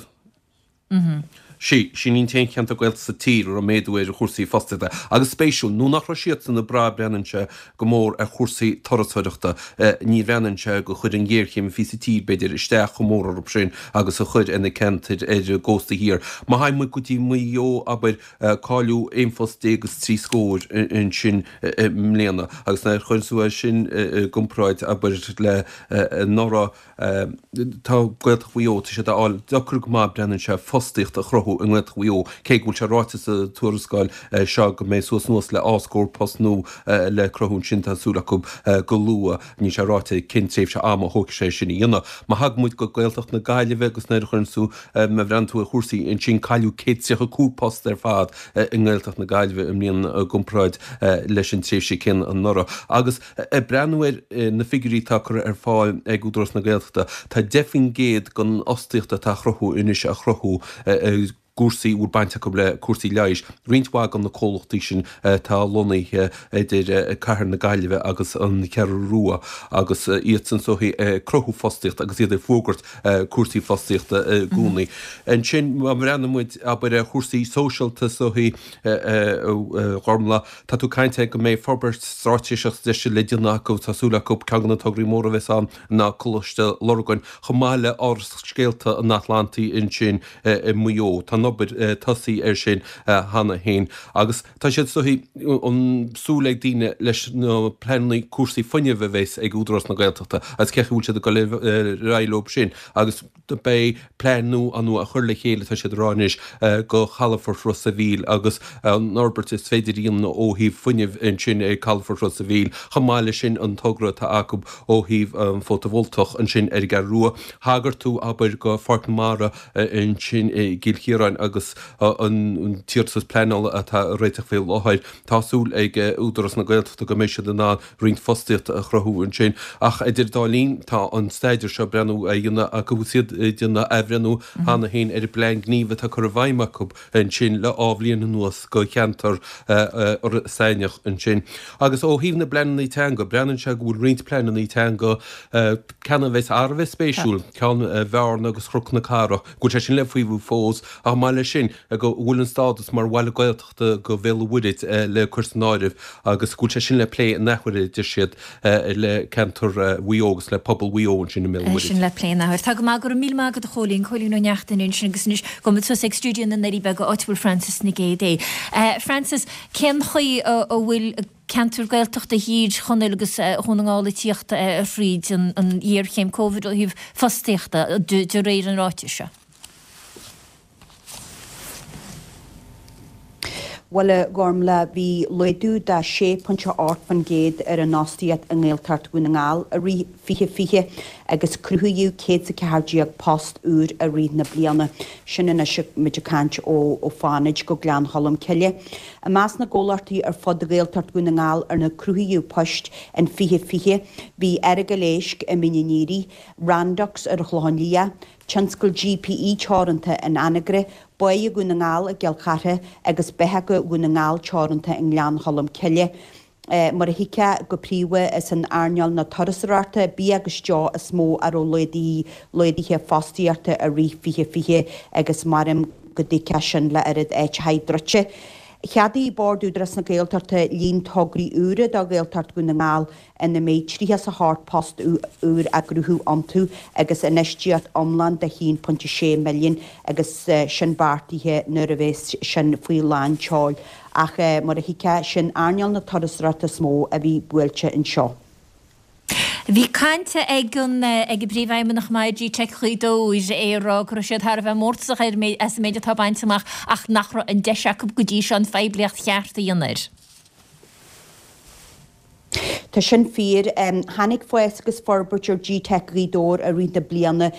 Sea, sin an t-aon cheantar Gaeltachta sa tír a raibh méadú ar chúrsaí fostaíochta. Agus spéisiúil, nó nach raibh siadsan ag brath, breathnaíonn sé, go mór ar chúrsaí turasóireachta, ní bhreathnaíonn sé gur chuir an ghéarchéim a bhí sa tír, b'fhéidir, isteach chomh mór orthu sin agus a chuir ar na ceantair ar an gcósta thiar. Má thagann muid go dtí Maigh Eo, abair, cailleadh aon phost déag is trí scór ansin i mbliana. Agus nuair a chuireann tú é sin i gcomparáid, abair, le anuraidh, Tá Gaeltacht Mhaigh Eo, tá siad á fháil deacair go maith, breathnaíonn sé, fostaíocht a chruthú i nGaeltacht Mhaigh Eo, cé go bhfuil sé ráite sa tuarascáil seo go mbeidh suas anuas le dhá scór post nua le cruthú ansin, tá súil acu go luath. Níl sé ráite cén tréimhse ama a thógfaidh sé sin a dhéanamh. Má thagann muid go Gaeltacht na Gaillimhe agus nuair a chuireann tú, má bhreathnaíonn tú ar chúrsaí ansin, cailleadh 135 post ar fad i nGaeltacht na Gaillimhe i mbliana i gcomparáid leis an tréimhse céanna anuraidh. Agus Ag breathnú ar na figiúirí atá curtha ar fáil ag Údarás na Gaeltachta, tá 10% den fhostaíocht atá á chruthú anois á chruthú i gcúrsaí a bhfuil baint acu le cúrsaí leighis. Roinnt mhaith de na comhlachtaí sin atá lonnaithe idir cathair na Gaillimhe agus an Cheathrú Rua agus iadsan is dóichí ag cruthú fostaíochta agus iad ag fuagairt cúrsaí fostaíochta i gcónaí. Ansin má bhreathnaíonn muid, abair, ar chúrsaí sóisialta is dóichí, a Ghormfhlaith, Tá tú ag caint ar go mbeidh forbairt straitéiseach sa deis le déanamh acu, tá súil acu ceann de na tograí móra a bheas ann ná Coláiste Lurgan, chomh maith le Áras Scéalta an Atlantaigh ansin i Maigh Eo. Tá an obair tosaithe air sin cheana féin agus tá siad is dóichí, an súil ag daoine leis na pleananna cúrsaí fuinnimh a bheas ag Údarás na Gaeltachta agus cén chaoi a bhfuil siad ag dul ar aghaidh leo sin agus Beidh plean nua ann á chur le chéile, tá siad ag rá anois, do chalafort Ros a' Mhíl agus an fhorbairt is féidir a dhéanamh ó thaobh fuinnimh ansin ag calafort Ros a' Mhíl. Chomh maith leis sin an togra atá acu ó thaobh an fótavoltach ansin ar an gCeathrú Rua. Thagair tú, abair, do Pháirc na Mara ansin i gCill Chiaráin agus an t-iarratas pleanála atá á réiteach faoi láthair. Tá súil ag Údarás na Gaeltachta go mbeidh siad in ann roinnt fostaíochta a chruthú ansin. Ach idir dá linn, tá an staidéar seo breathnú á dhéanamh acu agus iad ag déanamh athbhreithniú cheana féin ar an bplean gnímh atá curtha i bhfeidhm acu ansin le dhá bhliain anuas do cheantar Iorras Aithneach ansin. Agus ó thaobh na bpleananna teanga, breathnaíonn sé go bhfuil roinnt pleananna teanga, ceann a bheas thar a bheith spéisiúil, ceann Bhearna agus Chnoc na Cathrach, go bhfuil sé sin le faomhadh fós, ach chomh maith leis sin, go bhfuil an stádas mar bhaile Gaeltachta, do Bhéal an Mhuirthead le cur san áireamh agus go bhfuil sé sin le plé in athuair, a deir siad, le ceantar Mhaigh Eo agus le pobal Mhaigh Eo ansin i mBéal an Mhuirthead. Sin le plé in athuair. Tá go maith, go raibh míle maith agat a Chóilín, Cóilín Ó Neachtain ansin agus anois gabhfaidh muid suas ag stiúideo na nDoirí Beaga áit a bhfuil Frances Nic Géadaigh. Frances, cén chaoi a bhfuil ceantar Gaeltachta Thír Chonaill agus Dhún na nGall ag tíocht thríd an ghéarchéim Covid ó thaobh fostaíochta de réir an ráitis seo? Bhuel, a Ghormfhlaith, bhí laghdú de 6.8% ar an fhostaíocht i nGaeltacht Dhún na nGall i rith 2020 agus cruthaíodh 114 post úr i rith na bliana. Sin anois muid ag caint ó Fánaid go Gleann Cholm Cille. I measc na gcomhlachtaí ar fud Ghaeltacht Dhún na nGall arna cruthaíodh poist in 2020 bhí Earagail Éisc i Mín an Aoirigh, Randox ar an Chlochán Liath, Tionscal GPE Teoranta in Anagaire, Báighe Dhún na nGall i gCill Chartha agus Bitheaga Dhún na nGall Teoranta i nGleann Cholm Cille. Mar a thuigfeá, go príomha is in earnáil na turasóireachta, bia agus deoch is mó a raibh laghduithe fostaíochta i rith 2020 agus maram go dtuigfeá sin le oiread áiteachaí druidte. Cheadaigh Bord Údarás na Gaeltachta líon tograí úra do Ghaeltacht Dhún na nGall ina mbeidh 38 post úr á gcruthú iontu agus infheistíocht iomlán de €1.6 milliún agus sin beartaithe nuair a bheas sin faoi lán tseoil. Ach mar a thuigfeá, sin earnáil na turasóireachta is mó a bhí buailte anseo. Bhí caint ag an ag an bPríomhfheidhmeannach i G-Teic Ghaoth Dobhair, é ag rá go raibh siad thar a bheith mórtasach ar as an méid atá bainte amach ach nach raibh an deis acu go dtí seo an phoiblíocht cheart a dhéanamh air. Tá sin fíor. Tháinig fás agus forbairt ar G-Teic Ghaoth Dobhair i rith na bliana,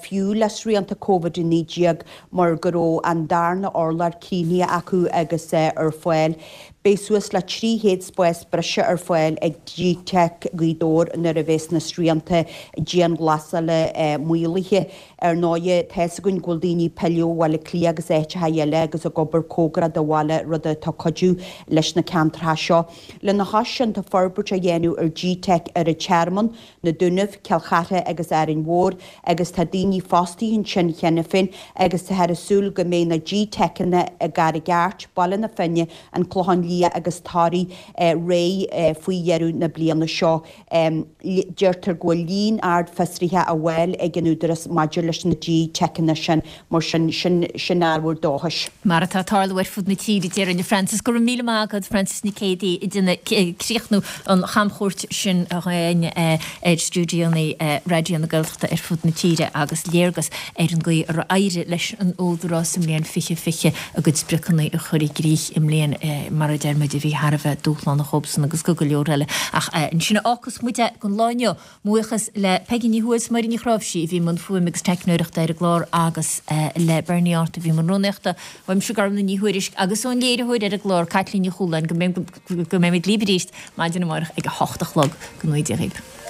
fiú le srianta Covid-19, mar go raibh an darna urlár críochnaithe acu agus ar fáil. Beidh suas le 300 spás breise ar fáil ag GTeic Ghaoth Dobhair nuair a bheas na srianta dianghlasála maolaithe. Ar ndóighe, tá fhios againn go bhfuil daoine ag pilleadh ó Bhaile Átha Cliath agus áiteacha eile agus ag obair cóngarach do bhaile, rud atá ag cuidiú leis na ceantracha seo. Lena chois sin, tá forbairt á dhéanamh ar GTeic ar an Tearmann, Na Dúnaibh, Cill Chartha agus Árainn Mhór agus tá daoine fostaithe ansin cheana féin agus táthar ag súil go mbeidh na GTeiceanna i gCarraig Airt, Baile na Finne, An Clochán Liath agus Toraigh réidh faoi dheireadh na bliana seo. Deirtear go bhfuil líon ard fiosruithe á bhfáil ag an Údarás maidir leis na GTeiceanna sin, mar sin, sin ábhar dóchais. Mar atá ag tarlú ar fud na tíre, déarfainn, a Frances. Go raibh míle maith agat, Frances Nic Géadaigh, ag déanamh críochnú an chamchuairt sin againn ar stiúidíonna Raidió na Gaeltachta ar fud na tíre agus léargas ar an gcaoi ar éirigh leis an Údarás sa mbliain 2020 a gcuid spriocanna a chur i gcrích i mbliain, mar a deir muid, a bhí thar a bheith dúshlánach dhóibhsan agus go go leor eile. Ach ansin a fhágfas muid é don lá inniu. Buíochas le Peigí Ní Thuathail is Máire Ní Chráimhsí a bhí i mbun fuaime agus teicneoireachta ar an gclár agus le Bernie Art a bhí i mbun rúnaíochta. Uaimse Gormlaith Ní Thuairisg agus ón léiritheoir ar an gclár, Caitlín Ní Chualáin, go mbeimid libh arís maidin amárach ag a hocht a chlog. Go ngnóthaí Dia dhaoibh.